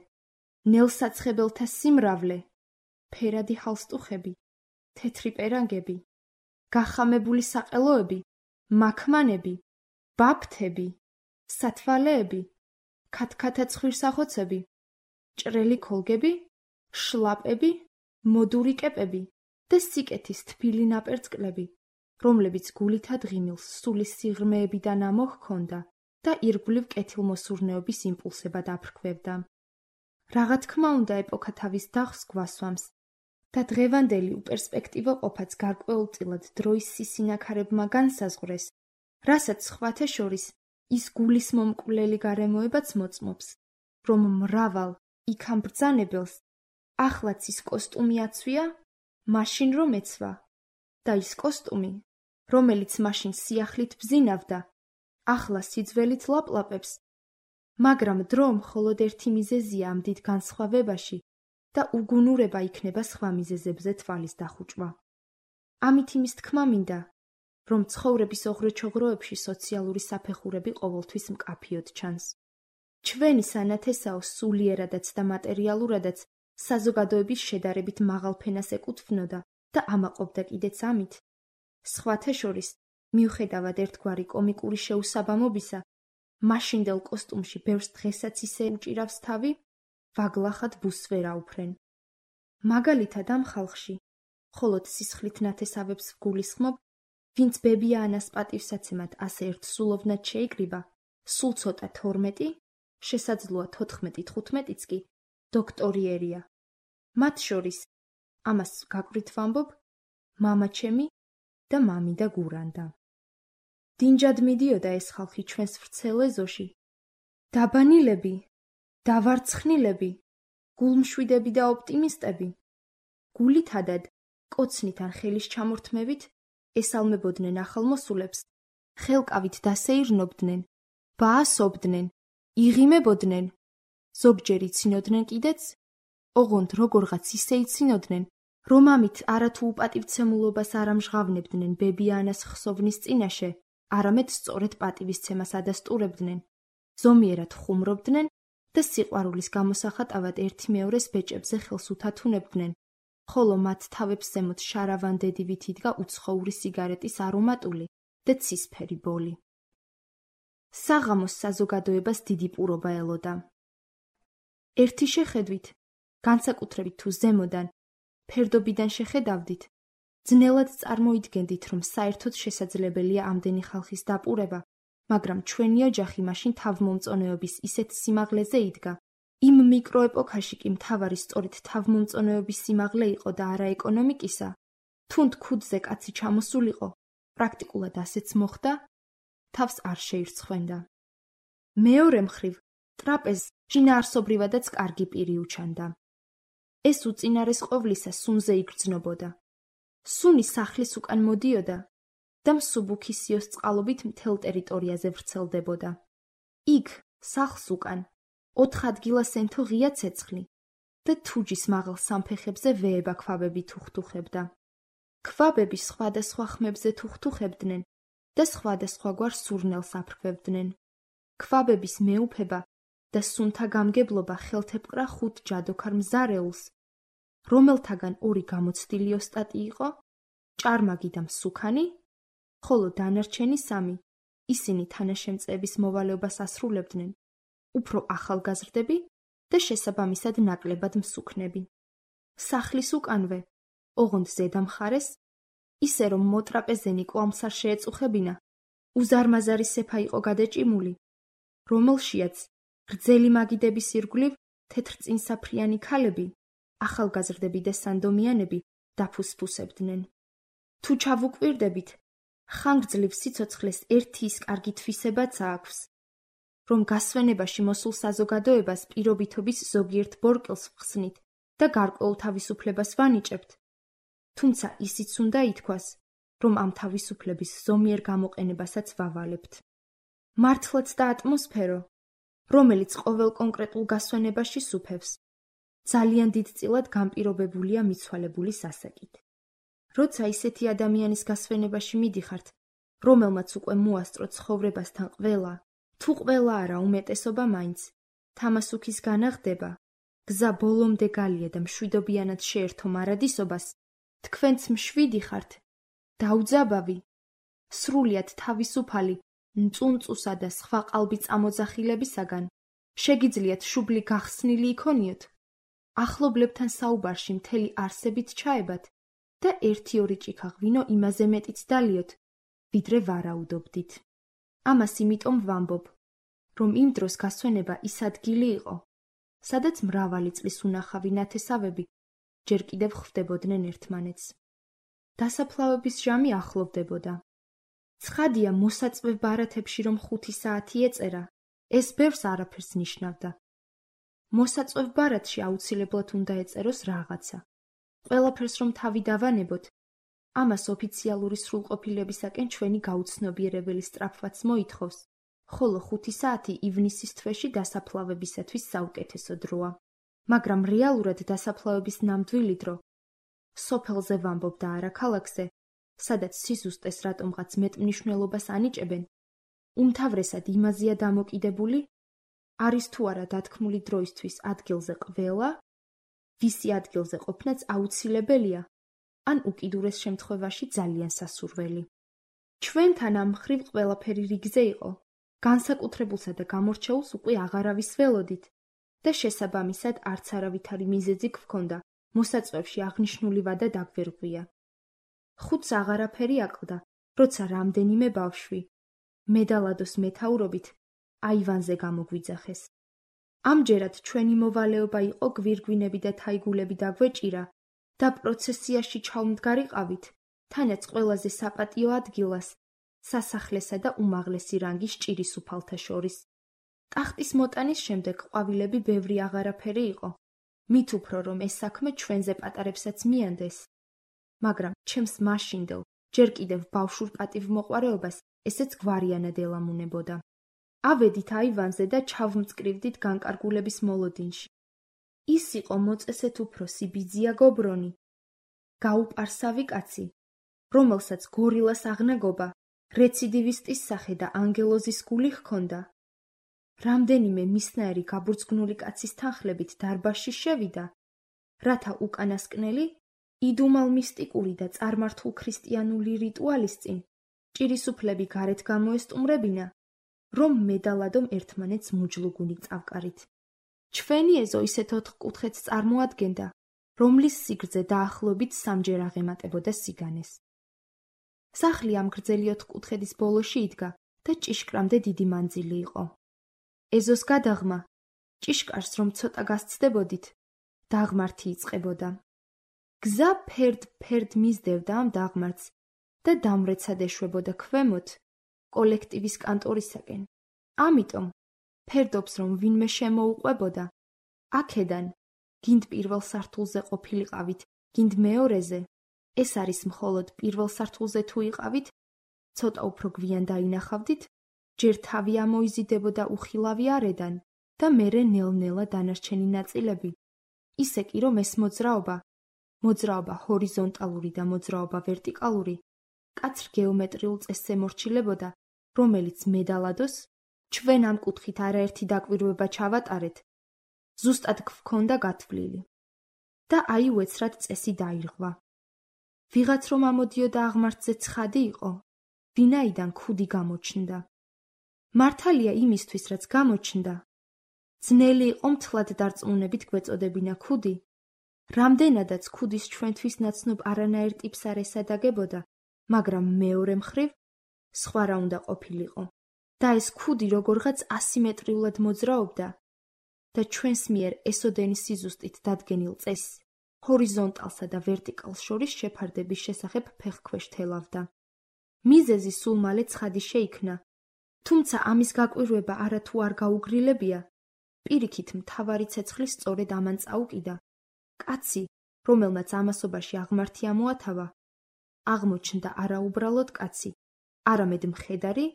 ნელსაცხებელთა სიმრავლე, ფერადი ჰალსტუხები, თეთრი პერანგები, გახამებული საყელოები, მაქმანები, ბაფთები, სათვალეები, ქათქათა ცხვირსახოცები, ჭრელი ქოლგები, შლაპები, მოდური კეპები და სიკეთის თბილი ნაპერწკლები, რომლებიც გულითად ღიმილს სულის სიღრმეებიდან ამოჰქონდა და ირგვლივ კეთილმოსურნეობის იმპულსებად აფრქვევდა. რა თქმა უნდა, ეპოქა თავის დახს გვასვამს, და დღევანდელი უპერსპექტივო ყოფაც გარკვეულწილად დროის სისინაქარებმა განსაზღვრეს, რასაც სხვათა შორის ის გულისმომკვლელი გარემოებაც მოწმობს, რომ მრავალ იქამ ბრძანებელს ახლაც ის კოსტუმი აცვია, მაშინ რომ ეცვა, და ის კოსტუმი, რომელიც მაშინ სიახლით ბზინავდა, ახლა სიძველით ლაპლაპებს, მაგრამ დრო მხოლოდ ერთი მიზეზია ამ დიდ განსხვავებაში და უგუნურება იქნება სხვა მიზეზებზე თვალის დახუჭვა. ამით იმის თქმა მინდა, რომ ცხოვრების ოღროჩოღროებში სოციალური საფეხურები ყოველთვის მკაფიოდ ჩანს. ჩვენი სანათესაო სულიერადაც და მატერიალურადაც საზოგადოების შედარებით მაღალ ფენას ეკუთვნოდა და ამაყობდა კიდეც ამით. სხვათა შორის, მიუხედავად ერთგვარი კომიკური შეუსაბამობისა, მაშინდელ კოსტუმში ბევრს დღესაც ისე უჭირავს თავი, ვაგლახად ბუს ვერ აუფრენ. მაგალითად ამ ხალხში, მხოლოდ სისხლით ნათესავებს ვგულისხმობ, ვინც ბებია-ანას პატივსაცემად ასე ერთსულოვნად შეიკრიბა, სულ ცოტა თორმეტი, შესაძლოა თოთხმეტი თხუთმეტიც კი დოქტორიერია. მათ შორის, ამას გაკვირთ ვამბობ, მამა ჩემი და მამიდა გურანდა. დინჯად მიდიოდა ეს ხალხი ჩვენს ვრცელ ეზოში. დაბანილები, დავარცხნილები, გულმშვიდები და ოპტიმისტები. გულითადად, კოცნით ან ხელის ჩამორთმევით ესალმებოდნენ ახალმოსულებს, ხელკავით დასეირნობდნენ, ბაასობდნენ, იღიმებოდნენ, ზოგჯერ იცინოდნენ კიდეც, ოღონდ როგორღაც ისე იცინოდნენ, რომ ამით არათუ უპატივცემულობას არ ამჟღავნებდნენ ბებია-ანას ხსოვნის წინაშე, არამედ სწორედ პატივისცემას ადასტურებდნენ, ზომიერად ხუმრობდნენ და სიყვარულის გამოსახატავად ერთი მეორეს ბეჭებზე ხელს უთათუნებდნენ, ხოლო მათ თავებს ზემოთ შარავან-დედივით იდგა უცხოური სიგარეტის არომატული და ცისფერი ბოლი. საღამოს საზოგადოებას დიდი პურობა ელოდა. ერთი შეხედვით, განსაკუთრებით თუ ზემოდან, ფერდობიდან შეხედავდით, ძნელად წარმოიდგენდით, რომ საერთოდ შესაძლებელია ამდენი ხალხის დაპურება, მაგრამ ჩვენი ოჯახი მაშინ თავმომწონეობის ისეთ სიმაღლეზე იდგა. იმ მიკროეპოქაში კი მთავარი სწორედ თავმომწონეობის სიმაღლე იყო და არა ეკონომიკისა, თუნდ ქუდზე კაცი ჩამოსულიყო, პრაქტიკულად ასეც მოხდა, თავს არ შეირცხვენდა. მეორე მხრივ, ტრაპეზს შინაარსობრივადაც კარგი პირი უჩანდა. ეს უწინარეს ყოვლისა სუნზე იგრძნობოდა. სუნი სახლის უკან მოდიოდა და მსუბუქისიოს წყალობით მთელ ტერიტორიაზე ვრცელდებოდა. იქ, სახლს უკან, ოთხ ადგილას ენთო ღია ცეცხლი და თუჯის მაღალ სამფეხებზე ვეება ქვაბები თუხთუხებდა. ქვაბები სხვადასხვა ხმებზე თუხთუხებდნენ და სხვადასხვაგვარ სურნელს აფრქვევდნენ. ქვაბების მეუფება და სუნთა გამგებლობა ხელთეპყრა ხუთ ჯადოქარ მზარეულს, რომელთაგან ორი გამოცდილი ოსტატი იყო, ჭარმაგი და მსუქანი, ხოლო დანარჩენი სამი, ისინი თანაშემწეების მოვალეობას ასრულებდნენ, უფრო ახალგაზრდები და შესაბამისად ნაკლებად მსუქნები. სახლის უკანვე, ოღონდ ზედა მხარეს, ისე რომ მოტრაპეზენი კვამს არ შეეწუხებინა, უზარმაზარი სეფა იყო გადაჭიმული, რომელშიაც გრძელი მაგიდების ირგვლივ თეთრწინსაფრიანი ქალები, ახალგაზრდები და სანდომიანები დაფუსფუსებდნენ. თუ ჩავუკვირდებით, ხანგრძლივ სიცოცხლეს ერთი ის კარგი თვისებაც აქვს, რომ გასვენებაში მოსულ საზოგადოებას პირობითობის ზოგიერთ ბორკელს ვხსნით და გარკვეულ თავისუფლებას ვანიჭებთ, თუმცა ისიც უნდა ითქვას, რომ ამ თავისუფლების ზომიერ გამოყენებასაც ვავალებთ. მართლაც და ატმოსფერო, რომელიც ყოველ კონკრეტულ გასვენებაში სუფევს, ძალიან დიდწილად განპირობებულია მიცვალებული სასაკით. როცა ისეთი ადამიანის გასვენებაში მიდიხართ, რომელმაც უკვე მოასწრო ცხოვრებასთან ყველა, თუ ყველა არა უმეტესობა მაინც, თამასუქის განაღდება, გზა ბოლომდე გალია და მშვიდობიანად შეერთო მარადისობას, თქვენც მშვიდი ხართ, დაუძაბავი, სრულიად თავისუფალი, მწუნწუსა და სხვა ყალბი წამოძახილებისაგან, შეგიძლიათ შუბლი გახსნილი იქონიოთ, ახლობლებთან საუბარში მთელი არსებით ჩაებათ და ერთი-ორი ჭიქა ღვინო იმაზე მეტიც დალიოთ, ვიდრე ვარაუდობდით. ამას იმიტომ ვამბობ, რომ იმ დროს გასვენება ის ადგილი იყო, სადაც მრავალი წლის უნახავი ნათესავები ჯერ კიდევ ხვდებოდნენ ერთმანეთს. დასაფლავების ჟამი ახლოვდებოდა. ცხადია, მოსაწვევ ბარათებში რომ ხუთი საათი ეწერა, ეს ბევრს არაფერს ნიშნავდა. მოსაწვევ ბარათში აუცილებლად უნდა ეწეროს რაღაცა. ყველაფერს რომ თავი დავანებოთ, ამას ოფიციალური სრულყოფილებისაკენ ჩვენი გაუცნობიერებელი სწრაფვაც მოითხოვს, ხოლო ხუთი საათი ივნისის თვეში დასაფლავებისათვის საუკეთესო დროა. მაგრამ რეალურად დასაფლავების ნამდვილი დრო სოფელზე ვამბობ და არა ქალაქზე, სადაც სიზუსტეს რატომღაც მეტ მნიშვნელობას ანიჭებენ, უმთავრესად იმაზეა დამოკიდებული, არის თუ არა დათქმული დროისთვის ადგილზე ყველა, ვისი ადგილზე ყოფნაც აუცილებელია, ან უკიდურეს შემთხვევაში ძალიან სასურველი. ჩვენთან ამ მხრივ ყველაფერი რიგზე იყო, განსაკუთრებულსა და გამორჩეულს უკვე აღარავის ველოდით და შესაბამისად არც არავითარი მიზეზი გვქონდა მოსაწვევში აღნიშნული ვადა დაგვერღვია. ხუთს აღარაფერი აკლდა, როცა რამდენიმე ბავშვი, მედალადოს მეთაურობით, აივანზე გამოგვიძახეს. ამჯერად ჩვენი მოვალეობა იყო გვირგვინები და თაიგულები დაგვეჭირა და პროცესიაში ჩავმდგარიყავით, თანაც ყველაზე საპატიო ადგილას, სასახლესა და უმაღლესი რანგის ჭირისუფალთა შორის. ტახტის მოტანის შემდეგ ყვავილები ბევრი აღარაფერი იყო, მით უფრო რომ ეს საქმე ჩვენზე პატარებსაც მიანდეს. მაგრამ ჩემს მაშინდელ, ჯერ კიდევ ბავშვურ პატივმოყვარეობას ესეც გვარიანად ელამუნებოდა. ავედით აივანზე და ჩავმწკრივდით განკარგულების მოლოდინში. ის იყო მოწესეთ უფროსი ბიძია გობრონი, გაუპარსავი კაცი, რომელსაც გორილას აღნაგობა, რეციდივისტის სახე და ანგელოზის გული ჰქონდა. რამდენიმე მისნაირი გაბურძგნული კაცის თანხლებით დარბაზში შევიდა, რათა უკანასკნელი, იდუმალ მისტიკური და წარმართულ ქრისტიანული რიტუალის წინ, ჭირისუფლები გარეთ გამოესტუმრებინა, რომ მედალადომ ერთმანეთს მუჯლუგუნი წავკარით. ჩვენი ეზო ისეთ ოთხკუთხედს წარმოადგენდა, რომლის სიგრძე დაახლოებით სამჯერ აღემატებოდა სიგანეს. სახლი ამ გრძელი ოთხკუთხედის ბოლოში იდგა და ჭიშკრამდე დიდი მანძილი იყო. ეზოს გადაღმა, ჭიშკარს რომ ცოტა გასცდებოდით, დაღმართი იწყებოდა. გზა ფერდ-ფერდ მისდევდა ამ დაღმართს და დამრეცად ეშვებოდა ქვემოთ, კოლექტივის კანტორისაკენ. ამიტომ, ფერდობს რომ ვინმე შემოუყვებოდა, აქედან, გინდ პირველ სართულზე ყოფილიყავით, გინდ მეორეზე, ეს არის მხოლოდ პირველ სართულზე თუ იყავით, ცოტა უფრო გვიან დაინახავდით, ჯერ თავი ამოიზიდებოდა უხილავი არედან და მერე ნელ-ნელა დანარჩენი ნაწილები. ისე კი რომ ეს მოძრაობა, მოძრაობა ჰორიზონტალური და მოძრაობა ვერტიკალური, კაცრ გეომეტრიულ წესს ემორჩილებოდა, რომელიც მედალადოს, ჩვენ ამ კუთხით არაერთი დაკვირვება ჩავატარეთ, ზუსტად გვქონდა გათვლილი. და აი უეცრად წესი დაირღვა. ვიღაც რომ ამოდიოდა აღმართზე ცხადი იყო, ვინაიდან ქუდი გამოჩნდა. მართალია იმისთვის, რაც გამოჩნდა, ძნელი იყო მთლად დარწმუნებით გვეწოდებინა ქუდი, რამდენადაც ქუდის ჩვენთვის ნაცნობ არანაირ ტიპს არ ესადაგებოდა, მაგრამ მეორე მხრივ, სხვა რა უნდა ყოფილიყო. და ეს ქუდი როგორღაც ასიმეტრიულად მოძრაობდა და ჩვენს მიერ ესოდენის სიზუსტით დადგენილ წესს, ჰორიზონტალსა და ვერტიკალს შორის შეფარდების შესახებ ფეხქვეშ თელავდა. მიზეზი სულ მალე ცხადი შეიქმნა, თუმცა ამის გაკვირვება არათუ არ გაუგრილებია, პირიქით მთავარი ცეცხლის სწორედ ამან წაუკიდა. კაცი, რომელმაც ამასობაში აღმართი ამოათავა, აღმოჩნდა არაუბრალოდ კაცი, არამედ მხედარი,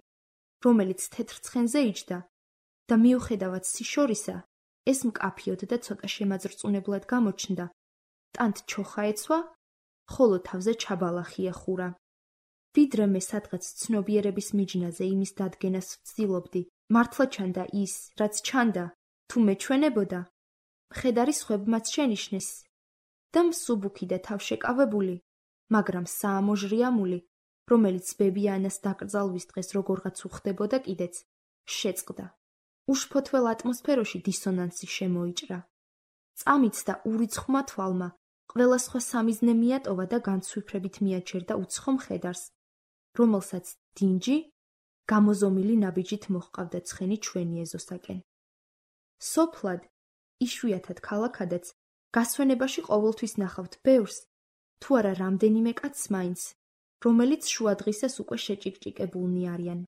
რომელიც თეთრ ცხენზე იჯდა და მიუხედავად სიშორისა, ეს მკაფიოდ და ცოტა შემაძრწუნებლად გამოჩნდა, ტანთ ჩოხა ეცვა, ხოლო თავზე ჩაბალახი ეხურა. ვიდრე მე სადღაც ცნობიერების მიჯნაზე იმის დადგენას ვცდილობდი, მართლა ჩანდა ის, რაც ჩანდა, თუ მეჩვენებოდა, მხედარი სხვებმაც შენიშნეს და მსუბუქი და თავშეკავებული, მაგრამ საამოჟრიამული, რომელიც ბებიანას დაკრძალვის დღეს როგორღაც უხდებოდა კიდეც, შეწყდა. უშფოთველ ატმოსფეროში დისონანსი შემოიჭრა. წამიცდა ურიცხმა თვალმა, ყველა სხვა სამიზნე მიატოვა და განცვიფრებით მიაჩერდა უცხო მხედარს, რომელსაც დინჯი, გამოზომილი ნაბიჯით მოჰყავდა ცხენი ჩვენი ეზოსაკენ. სოფლად, იშვიათად ქალაქადაც, გასვენებაში ყოველთვის ნახავთ ბევრს, თუ არა რამდენიმე კაცს მაინც, რომელიც შუა დღისას უკვე შეჭიკჭიკებულნი არიან.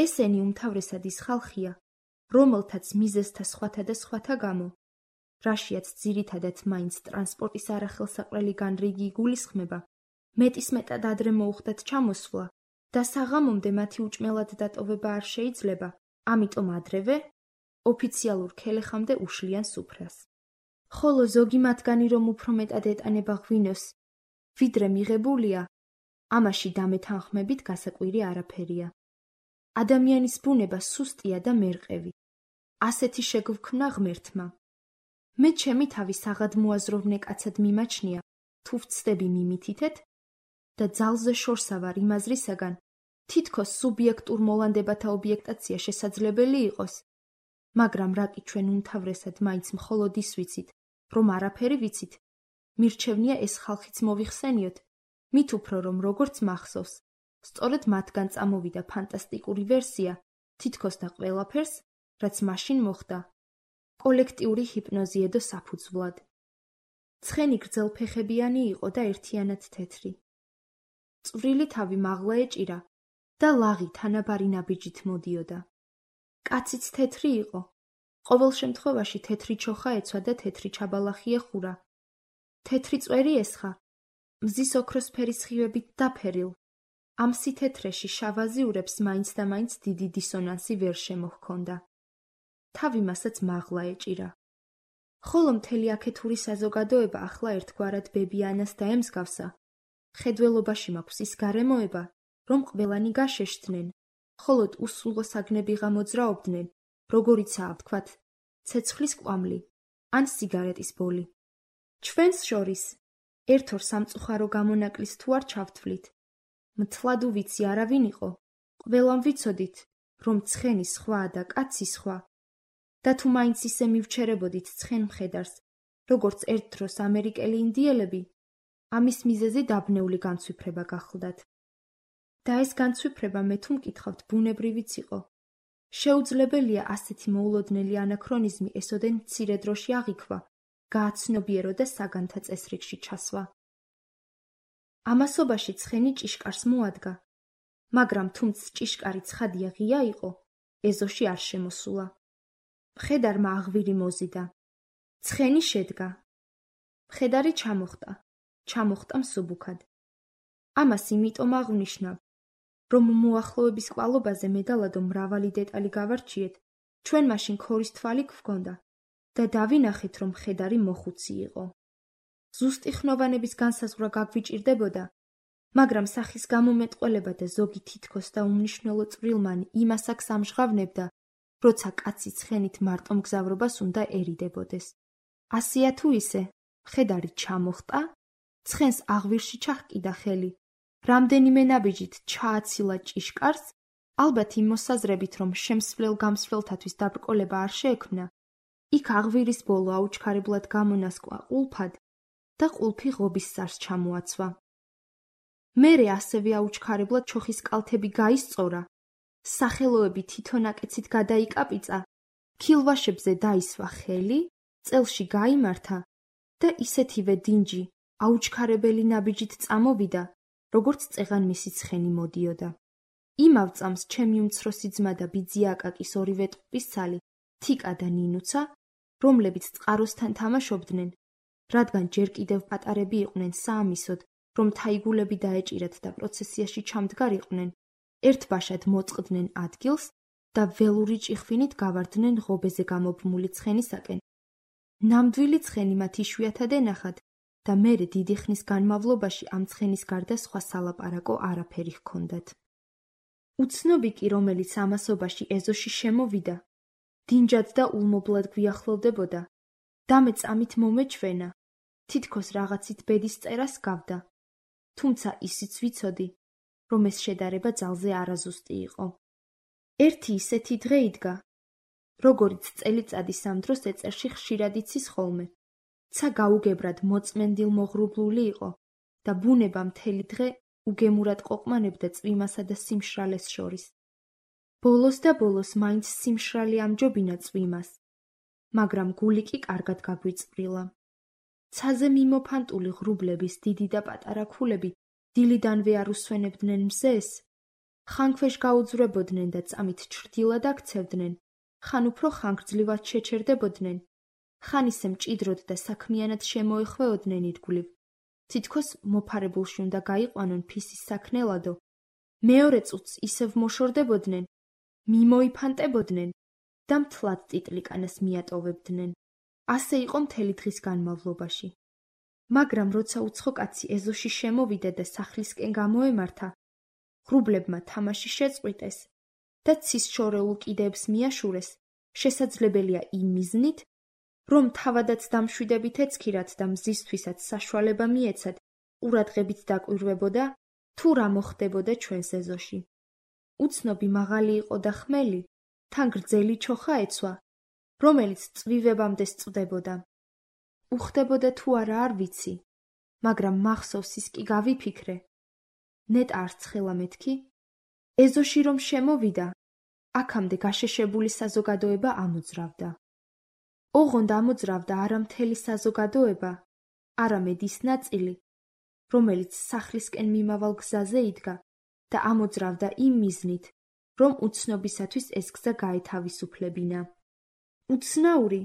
ესენი უმთავრესად ის ხალხია, რომელთაც მიზეზთა სხვათა და სხვათა გამო, რაშიაც ძირითადად მაინც ტრანსპორტის არახელსაყრელი განრიგი იგულისხმება, მეტისმეტად ადრე მოუხდათ ჩამოსვლა და საღამომდე მათი უჭმელად დატოვება არ შეიძლება, ამიტომ ადრევე ოფიციალურ ქელეხამდე უშლიან სუფრას. ხოლო ზოგი მათგანი რომ უფრო მეტად ეტანება ღვინოს, ვიდრე მიღებულია, ამაში დამეთანხმებით გასაკვირი არაფერია. ადამიანის ბუნება სუსტია და მერყევი. ასეთი შეგვქმნა ღმერთმა. მე ჩემი თავი საღადმოაზროვნე კაცად მიმაჩნია, თუ ვცდები მიმითითეთ და ძალზე შორსა ვარ იმ აზრისაგან, თითქოს სუბიექტურ მოლანდებათა ობიექტაცია შესაძლებელი იყოს, მაგრამ რაკი ჩვენ უმთავრესად მაინც მხოლოდ ის ვიცით, რომ არაფერი ვიცით, მირჩევნია ეს ხალხიც მოვიხსენიოთ, მით უფრო რომ როგორც მახსოვს, სწორედ მათგან წამოვიდა ფანტასტიკური ვერსია, თითქოს და ყველაფერს, რაც მაშინ მოხდა, კოლექტიური ჰიპნოზი ედო საფუძვლად. ცხენი გრძელფეხებიანი იყო და ერთიანად თეთრი. წვრილი თავი მაღლა ეჭირა და ლაღი თანაბარი ნაბიჯით მოდიოდა. კაციც თეთრი იყო, ყოველ შემთხვევაში თეთრი ჩოხა ეცვა და თეთრი ჩაბალახი ეხურა. თეთრი წვერი ესხა, მზის ოქროსფერი სხივებით დაფერილ. ამ სითეთრეში შავაზიურებს მაინც და მაინც დიდი დისონანსი ვერ შემოჰქონდა. თავი მასაც მაღლა ეჭირა. ხოლო მთელი აქეთური საზოგადოება ახლა ერთგვარად ბებიანას დაემსგავსა. ხედველობაში მაქვს ის გარემოება, რომ ყველანი გაშეშდნენ, ხოლოდ უსულოსაგნებიღა მოძრაობდნენ, როგორიცაა ვთქვათ, ცეცხლის კვამლი ან სიგარეტის ბოლი. ჩვენს შორის ერთ-ორ სამწუხარო გამონაკლისს თუ არ ჩავთვლით, მთლად უვიცი არავინ იყო, ყველამ ვიცოდით, რომ ცხენი სხვაა და კაცი სხვა, და თუ მაინც ისე მივჩერებოდით ცხენ მხედარს, როგორც ერთ დროს ამერიკელი ინდიელები, ამის მიზეზი დაბნეული განცვიფრება გახლდათ. და ეს განცვიფრება მე თუ მკითხავთ ბუნებრივიც იყო. შეუძლებელია ასეთი მოულოდნელი ანაქრონიზმი ესოდენ მცირე დროში აღიქვა, გააცნობიერო და საგანთა წესრიგში ჩასვა. ამასობაში ცხენი ჭიშკარს მოადგა, მაგრამ თუმც ჭიშკარი ცხადია ღია იყო, ეზოში არ შემოსულა. მხედარმა აღვირი მოზიდა. ცხენი შედგა. მხედარი ჩამოხტა. ჩამოხტა მსუბუქად. ამას იმიტომ აღვნიშნავ, რომ მოახლოების კვალობაზე მედალადო მრავალი დეტალი გავარჩიეთ, ჩვენ მაშინ ქორის თვალი გვქონდა და დავინახეთ, რომ მხედარი მოხუცი იყო. ზუსტი ხნოვანების განსაზღვრა გაგვიჭირდებოდა, მაგრამ სახის გამომეტყველება და ზოგი თითქოს და უმნიშვნელო წვრილმანი იმას აქ სამჟღავნებდა, როცა კაცი ცხენით მარტომგზავრობას უნდა ერიდებოდეს. ასეა თუ ისე, მხედარი ჩამოხტა, ცხენს აღვირში ჩაჰკიდა ხელი, რამდენიმე ნაბიჯით ჩააცილა ჭიშკარს, ალბათ იმ მოსაზრებით, რომ შემსვლელ გამსვლელთათვის დაბრკოლება არ შეექმნა, იქ აღვირის ბოლო აუჩქარებლად გამონასკვა ყულფად და ყულფი ღობის სარს ჩამოაცვა. მერე ასევე აუჩქარებლად ჩოხის კალთები გაისწორა, სახელოები თითონაკეცით გადაიკაპიცა, ქილვაშებზე დაისვა ხელი, წელში გაიმართა და ისეთივე დინჯი აუჩქარებელი ნაბიჯით წამოვიდა, როგორც წეღან მისი ცხენი მოდიოდა. იმავ წამს ჩემი უმცროსი ძმა და ბიძი აკაკის ორივე ტყუპისცალი, თიკა და ნინუცა, რომლებიც წყაროსთან თამაშობდნენ, რადგან ჯერ კიდევ პატარები იყვნენ საამისოდ, რომ თაიგულები დაეჭირათ და პროცესიაში ჩამდგარიყვნენ, ერთბაშად მოწყდნენ ადგილს და ველური ჭიხვინით გავარდნენ ღობეზე გამობმული ცხენისაკენ. ნამდვილი ცხენი მათ იშვიათად ენახათ და მერე დიდი ხნის განმავლობაში ამ ცხენის გარდა სხვა სალაპარაკო არაფერი ჰქონდათ. უცნობი კი, რომელიც ამასობაში ეზოში შემოვიდა, დინჯად და ულმობლად გვიახლოვდებოდა და მე წამით მომეჩვენა, თითქოს რაღაცით ბედის წერას გავდა, თუმცა ისიც ვიცოდი, რომ ეს შედარება ძალზე არაზუსტი იყო. ერთი ისეთი დღე იდგა, როგორიც წელიწადის ამ დროს ეწერში ხშირად იცის ხოლმე. ცა გაუგებრად მოწმენდილ მოღრუბლული იყო და ბუნება მთელი დღე უგემურად ყოყმანებდა წვიმასა და სიმშრალეს შორის. ბოლოს და ბოლოს მაინც სიმშრალე ამჯობინა წვიმას, მაგრამ გული კი კარგად გაგვიწვრილა. ცაზე მიმოფანტული ღრუბლების დიდი და პატარა ქულები დილიდანვე არ უსვენებდნენ მზეს, ხან ქვეშ გაუძვრებოდნენ და წამით ჩრდილად აქცევდნენ, ხან უფრო ხანგრძლივად შეჩერდებოდნენ, ხან ისე მჭიდროდ და საქმიანად შემოეხვეოდნენ ირგვლივ, თითქოს მოფარებულში უნდა გაიყვანონ ფისის საქნელადო, მეორე წუთს ისევ მოშორდებოდნენ, მიმოიფანტებოდნენ და მთლად ტიტლიკანას მიატოვებდნენ. ასე იყო მთელი დღის განმავლობაში. მაგრამ როცა უცხო კაცი ეზოში შემოვიდა და სახლისკენ გამოემართა, ღრუბლებმა თამაში შეწყვიტეს და ცის შორეულ კიდეებს მიაშურეს, შესაძლებელია იმ მიზნით, რომ თავადაც დამშვიდებით ეცქირათ და მზისთვისაც საშუალება მიეცათ, ყურადღებით დაკვირვებოდა, თუ რა მოხდებოდა ჩვენს ეზოში. უცნობი მაღალი იყო და ხმელი, თან გრძელი ჩოხა ეცვა, რომელიც წვივებამდე სწვდებოდა. უხდებოდა თუ არა არ ვიცი, მაგრამ მახსოვს ის კი გავიფიქრე. ნეტ არ ცხელა მეთქი? ეზოში რომ შემოვიდა, აქამდე გაშეშებული საზოგადოება ამოძრავდა. ოღონდ ამოძრავდა არა მთელი საზოგადოება, არამედ ის ნაწილი, რომელიც სახლისკენ მიმავალ გზაზე იდგა და ამოძრავდა იმ მიზნით, რომ უცნობისათვის ეს გზა გაეთავისუფლებინა. უცნაური,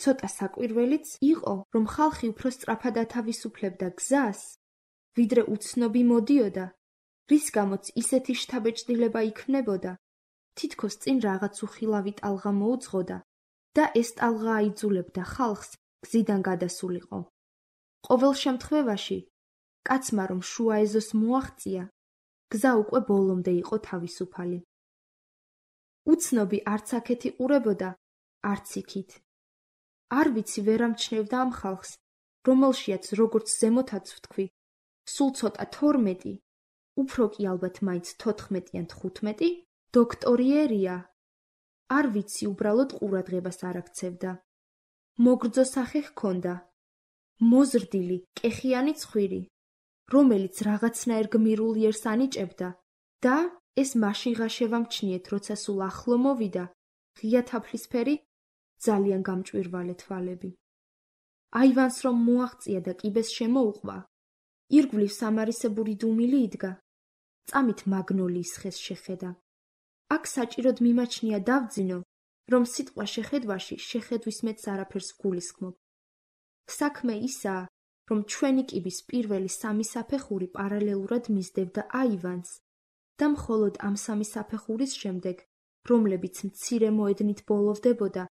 ცოტა საკვირველიც იყო, რომ ხალხი უფრო სწრაფად ათავისუფლებდა გზას, ვიდრე უცნობი მოდიოდა, რის გამოც ისეთი შთაბეჭდილება იქმნებოდა, თითქოს წინ რაღაც უხილავი ტალღა მოუძღოდა და ეს ტალღა აიძულებდა ხალხს გზიდან გადასულიყო. ყოველ შემთხვევაში, კაცმა რომ შუა ეზოს მოაღწია, გზა უკვე ბოლომდე იყო თავისუფალი. უცნობი არც აქეთ იყურებოდა, არც იქით. არ ვიცი ვერ ამჩნევდა ამ ხალხს, რომელშიაც როგორც ზემოთაც ვთქვი, სულ ცოტა თორმეტი, უფრო კი ალბათ მაინც თოთხმეტი ან თხუთმეტი, დოქტორიერია. არ ვიცი უბრალოდ ყურადღებას არ აქცევდა. მოგრძო სახე ჰქონდა, მოზრდილი, კეხიანი ცხვირი, რომელიც რაღაცნაირ გმირულ იერს ანიჭებდა და ეს მაშინ ღაშევა მჩნიეთ, როცა სულ ახლო მოვიდა, ღია თაფლისფერი, ძალიან გამჭვირვალე თვალები. აივანს რომ მოაღწია და კიბეს შემოუყვა, ირგვლივ სამარისებური დუმილი იდგა, წამით მაგნოლიის ხეს შეხედა. აქ საჭიროდ მიმაჩნია დავძინო, რომ სიტყვა შეხედვაში შეხედვის მეც არაფერს გულისხმობ. საქმე ისაა, რომ ჩვენი კიბის პირველი სამი საფეხური პარალელურად მისდევდა აივანს და მხოლოდ ამ სამი საფეხურის შემდეგ, რომლებიც მცირე მოედნით ბოლოვდებოდა,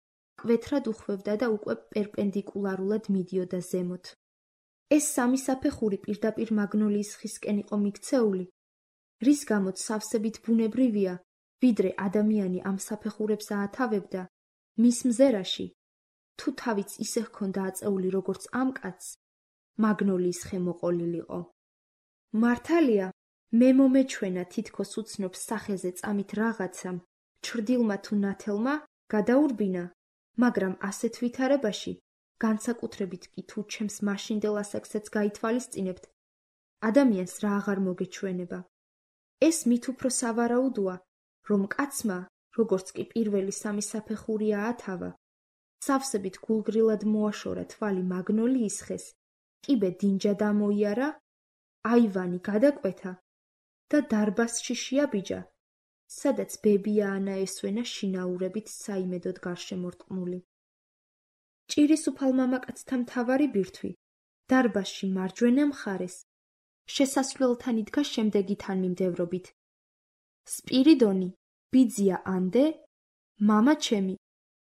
კვეთრად უხვევდა და უკვე პერპენდიკულარულად მიდიოდა ზემოთ. ეს სამი საფეხური პირდაპირ მაგნოლიის ხისკენ იყო მიქცეული, რის გამოც სავსებით ბუნებრივია, ვიდრე ადამიანი ამ საფეხურებს აათავებდა, მის მზერაში, თუ თავიც ისე ჰქონდა აწეული როგორც ამ კაცს, მაგნოლიის ხე მოყოლილიყო. მართალია, მე მომეჩვენა თითქოს უცნობ სახეზე წამით რაღაცამ, ჩრდილმა თუ ნათელმა, გადაურბინა, მაგრამ ასეთ ვითარებაში, განსაკუთრებით კი თუ ჩემს მაშინდელ ასაკსაც გაითვალისწინებთ, ადამიანს რა აღარ მოგეჩვენება. ეს მით უფრო სავარაუდოა, რომ კაცმა, როგორც კი პირველი სამი საფეხური აათავა, სავსებით გულგრილად მოაშორა თვალი მაგნოლიის ხეს, კიბე დინჯად ამოიარა, აივანი გადაკვეთა და დარბაზში შეაბიჯა, სადაც ბებია ანა ესვენა შინაურებით საიმედოდ გარშემორტყმული. ჭირისუფალ მამაკაცთა მთავარი ბირთვი, დარბაზში მარჯვენა მხარეს, შესასვლელთან იდგა შემდეგი თანმიმდევრობით. სპირიდონი, ბიძია ანდე, მამა ჩემი,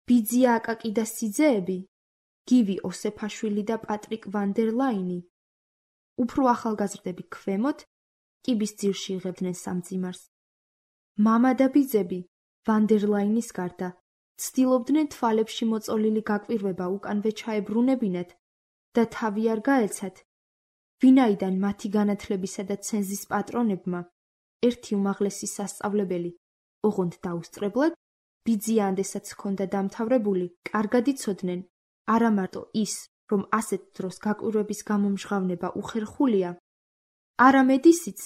ბიძია აკაკი და სიძეები, გივი ოსეფაშვილი და პატრიკ ვანდერლაინი. უფრო ახალგაზრდები ქვემოთ, კიბის ძირში იღებდნენ სამძიმარს. მამა და ბიძები, ვანდერლაინის გარდა, ცდილობდნენ თვალებში მოწოლილი გაკვირვება უკანვე ჩაებრუნებინათ და თავი არ გაეცათ, ვინაიდან მათი განათლებისა და ცენზის პატრონებმა ერთი უმაღლესი სასწავლებელი, ოღონდ დაუსწრებლად, ბიძია ანდესაც ჰქონდა დამთავრებული, კარგად იცოდნენ, არა მარტო ის, რომ ასეთ დროს გაკვირვების გამომჟღავნება უხერხულია, არამედ ისიც,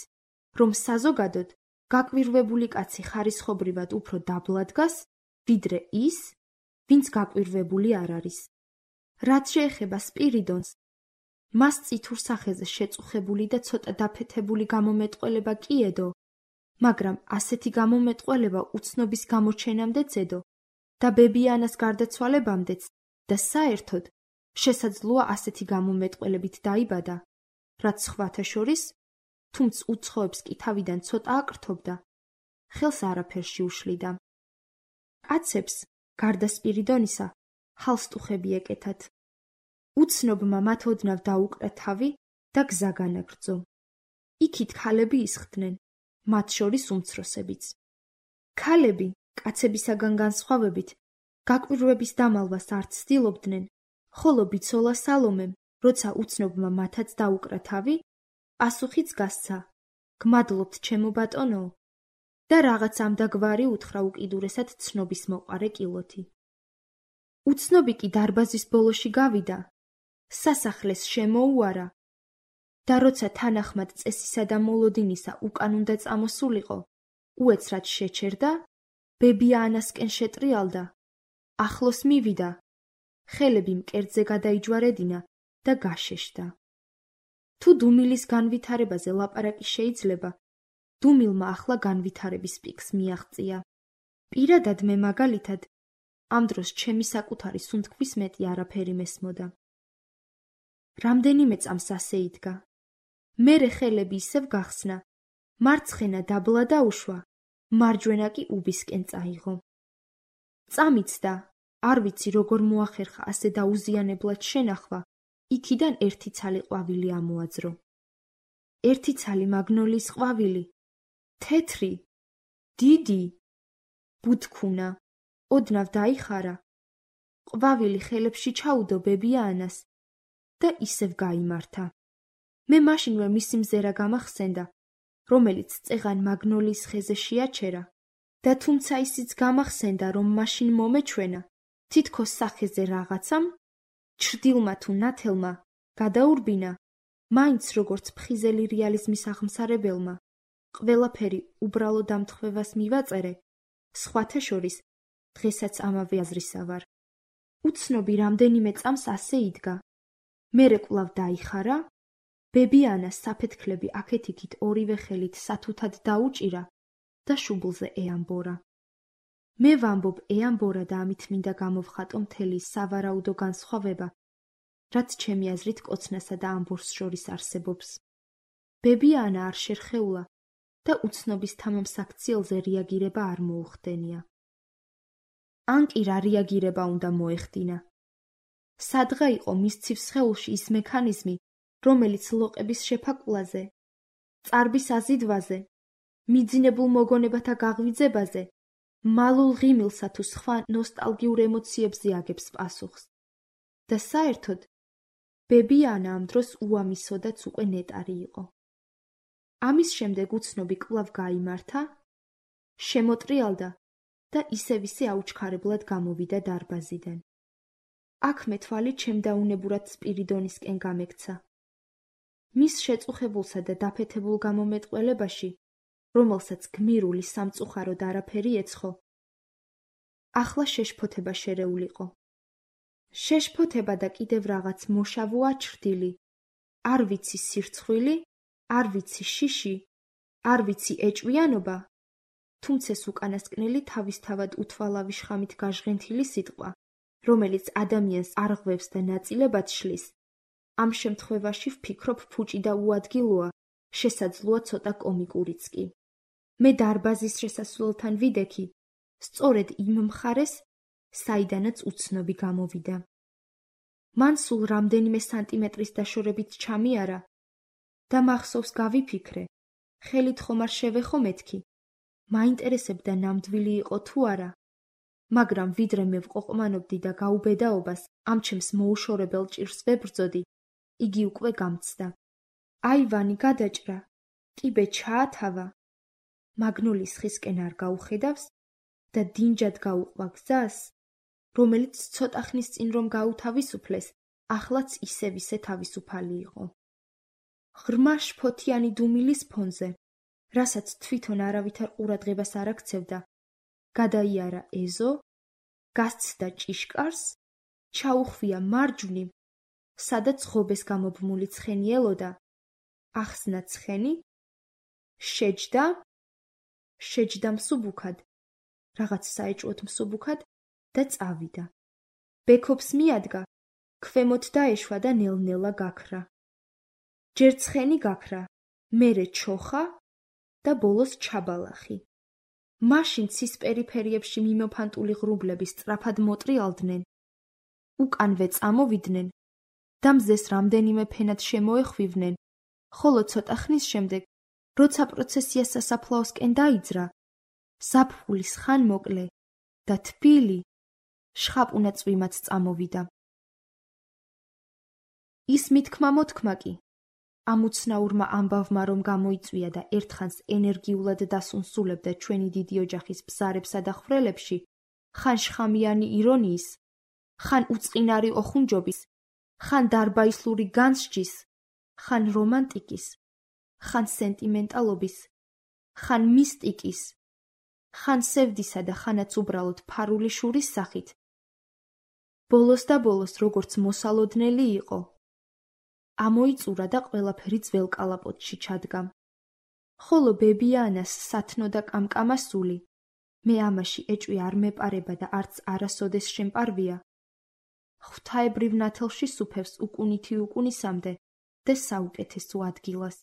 რომ საზოგადოდ გაკვირვებული კაცი ხარისხობრივად უფრო დაბლა დგას, ვიდრე ის, ვინც გაკვირვებული არ არის. რაც შეეხება სპირიდონს, მას წითურ სახეზე შეწუხებული და ცოტა დაფეთებული გამომეტყველება კი ედო, მაგრამ ასეთი გამომეტყველება უცნობის გამოჩენამდეც ედო და ბებიანას გარდაცვალებამდეც და საერთოდ შესაძლოა ასეთი გამომეტყველებით დაიბადა, რაც სხვათა შორის, თუმც უცხოებს კი თავიდან ცოტა აკრთობდა, ხელს არაფერში უშლიდა. კაცებს, გარდა სპირიდონისა, ჰალსტუხები ეკეთათ. უცნობმა მათ ოდნავ დაუკრა თავი და გზა განაგრძო. იქით ქალები ისხდნენ, მათ შორის უმცროსებიც. ქალები, კაცებისაგან განსხვავებით, გაკვირვების დამალვას არ ცდილობდნენ, ხოლო ბიცოლა სალომემ, როცა უცნობმა მათაც დაუკრა თავი, პასუხიც გასცა, გმადლობთ ჩემო ბატონო, და რაღაც ამდაგვარი უთხრა უკიდურესად ცნობის მოყარე კილოთი. უცნობი კი დარბაზის ბოლოში გავიდა, სასახლეს შემოუარა და როცა თანახმად წესისა და მოლოდინისა უკან უნდა წამოსულიყო, უეცრად შეჩერდა, ბებიანასკენ შეტრიალდა, ახლოს მივიდა, ხელები მკერდზე გადაიჯვარედინა და გაშეშდა. თუ დუმილის განვითარებაზე ლაპარაკი შეიძლება, დუმილმა ახლა განვითარების პიკს მიაღწია. პირადად მე მაგალითად, ამ დროს ჩემი საკუთარი სუნთქვის მეტი არაფერი მესმოდა. რამდენიმე წამს ასე იდგა. მერე ხელები ისევ გახსნა, მარცხენა დაბლა დაუშვა, მარჯვენა კი უბისკენ წაიღო. წამიცდა, არ ვიცი როგორ მოახერხა ასე დაუზიანებლად შენახვა, იქიდან ერთი ცალი ყვავილი ამოაძრო. ერთი ცალი მაგნოლიის ყვავილი, თეთრი, დიდი, ბუთქუნა, ოდნავ დაიხარა, ყვავილი ხელებში ჩაუდო ბებიანას და ისევ გაიმართა. მე მაშინვე მისი მზერა გამახსენდა, რომელიც წეღან მაგნოლიის ხეზე შეაჩერა და თუმცა ისიც გამახსენდა, რომ მაშინ მომეჩვენა, თითქოს სახეზე რაღაცამ, ჩრდილმა თუ ნათელმა, გადაურბინა, მაინც როგორც ფხიზელი რეალიზმის აღმსარებელმა, ყველაფერი უბრალო დამთხვევას მივაწერე, სხვათა შორის, დღესაც ამავე აზრისა ვარ. უცნობი რამდენიმე წამს ასე იდგა. მერე კვლავ დაიხარა, ბებიანას საფეთქლები აქეთ-იქით ორივე ხელით სათუთად დაუჭირა და შუბლზე ეამბორა. მე ვამბობ ეამბორა და ამით მინდა გამოვხატო მთელი სავარაუდო განსხვავება, რაც ჩემი აზრით კოცნასა და ამბორს შორის არსებობს. ბებიანა არ შერხეულა და უცნობის თამამსაქციელზე რეაგირება არ მოუხდენია. ან კი რა რეაგირება უნდა მოეხდინა. სადღა იყო მის ცივ სხეულში ის მექანიზმი, რომელიც ლოყების შეფაკვлаზე, წარბის აზიდვაზე, მიძინებულ მოგონებათა გაღვიძებაზე, მალულ ღიმილსა თუ სხვა ნოსტალგიურ ემოციებზე აგებს პასუხს. და საერთოდ, ბებიანა ამ დროს უამისოდაც უკვე ნეტარი იყო. ამის შემდეგ უცნობი კვლავ გაიმართა, შემოტრიალდა და ისევ ისე აუჩქარებლად გამოვიდა დარბაზიდან. აქ მე თვალი ჩემდაუნებურად სპირიდონისკენ გამექცა. მის შეწუხებულსა და დაფეთებულ გამომეტყველებაში, რომელსაც გმირული სამწუხაროდ არაფერი ეცხო, ახლა შეშფოთება შერეულიყო. შეშფოთება და კიდევ რაღაც მოშავო აჩრდილი, არ ვიცი სირცხვილი, არ ვიცი შიში, არ ვიცი ეჭვიანობა, თუმცა ეს უკანასკნელი თავისთავად უთვალავი შხამით გაჟღენთილი სიტყვა, რომელიც ადამიანს არღვევს და ნაწილებად შლის, ამ შემთხვევაში ვფიქრობ ფუჭი და უადგილოა, შესაძლოა ცოტა კომიკურიც კი. მე დარბაზის შესასვლელთან ვიდექი, სწორედ იმ მხარეს, საიდანაც უცნობი გამოვიდა. მან სულ რამდენიმე სანტიმეტრის დაშორებით ჩამიარა და მახსოვს გავიფიქრე, ხელით ხომ არ შევეხო მეთქი, მაინტერესებდა ნამდვილი იყო თუ არა, მაგრამ ვიდრე მე ვყოყმანობდი და გაუბედაობას ამ ჩემს მოუშორებელ ჭირს ვებრძოდი, იგი უკვე გამცდა. აივანი გადაჭრა, კიბე ჩაათავა, მაგნოლის ხისკენ არ გაუხედავს და დინჯად გაუყვა გზას, რომელიც ცოტა ხნის წინ რომ გაუთავისუფლეს, ახლაც ისევ ისე თავისუფალი იყო. ღრმა შფოთიანი დუმილის ფონზე, რასაც თვითონ არავითარ ყურადღებას არ აქცევდა, გადაიარა ეზო, გასცდა ჭიშკარს, ჩაუხვია მარჯვნივ, სადაც ღობეს გამობმული ცხენი ელოდა, ახსნა ცხენი, შეჯდა, შეჯდა მსუბუქად, რაღაც საეჭვოდ მსუბუქად და წავიდა. ბექობს მიადგა, ქვემოთ დაეშვა და ნელ-ნელა გაქრა. ჯერ ცხენი გაქრა, მერე ჩოხა და ბოლოს ჩაბალახი. მაშინ ცის პერიფერიებში მიმოფანტული ღრუბლები სწრაფად მოტრიალდნენ, უკანვე წამოვიდნენ და მზეს რამდენიმე ფენად შემოეხვივნენ, ხოლო ცოტა ხნის შემდეგ, როცა პროცესია სასაფლაოსკენ დაიძრა, ზაფხულის ხანმოკლე და თბილი შხაპუნა წვიმაც წამოვიდა. ის მითქმა-მოთქმა კი ამ უცნაურმა ამბავმა რომ გამოიწვია და ერთხანს ენერგიულად დასუნსულებდა ჩვენი დიდი ოჯახის ბზარებსა და ხვრელებში, ხან შხამიანი ირონიის, ხან უწყინარი ოხუნჯობის, ხან დარბაისლური განსჯის, ხან რომანტიკის, ხან სენტიმენტალობის, ხან მისტიკის, ხან სევდისა და ხანაც უბრალოდ ფარული შურის სახით, ბოლოს და ბოლოს როგორც მოსალოდნელი იყო, ამოიწურა და ყველაფერი ძველ კალაპოტში ჩადგა. ხოლო ბებიანას სათნო და კამკამა სული, მე ამაში ეჭვი არ მეპარება და არც არასოდეს შემპარვია, ღვთაებრივ ნათელში სუფევს უკუნითი უკუნისამდე და საუკეთესო ადგილას.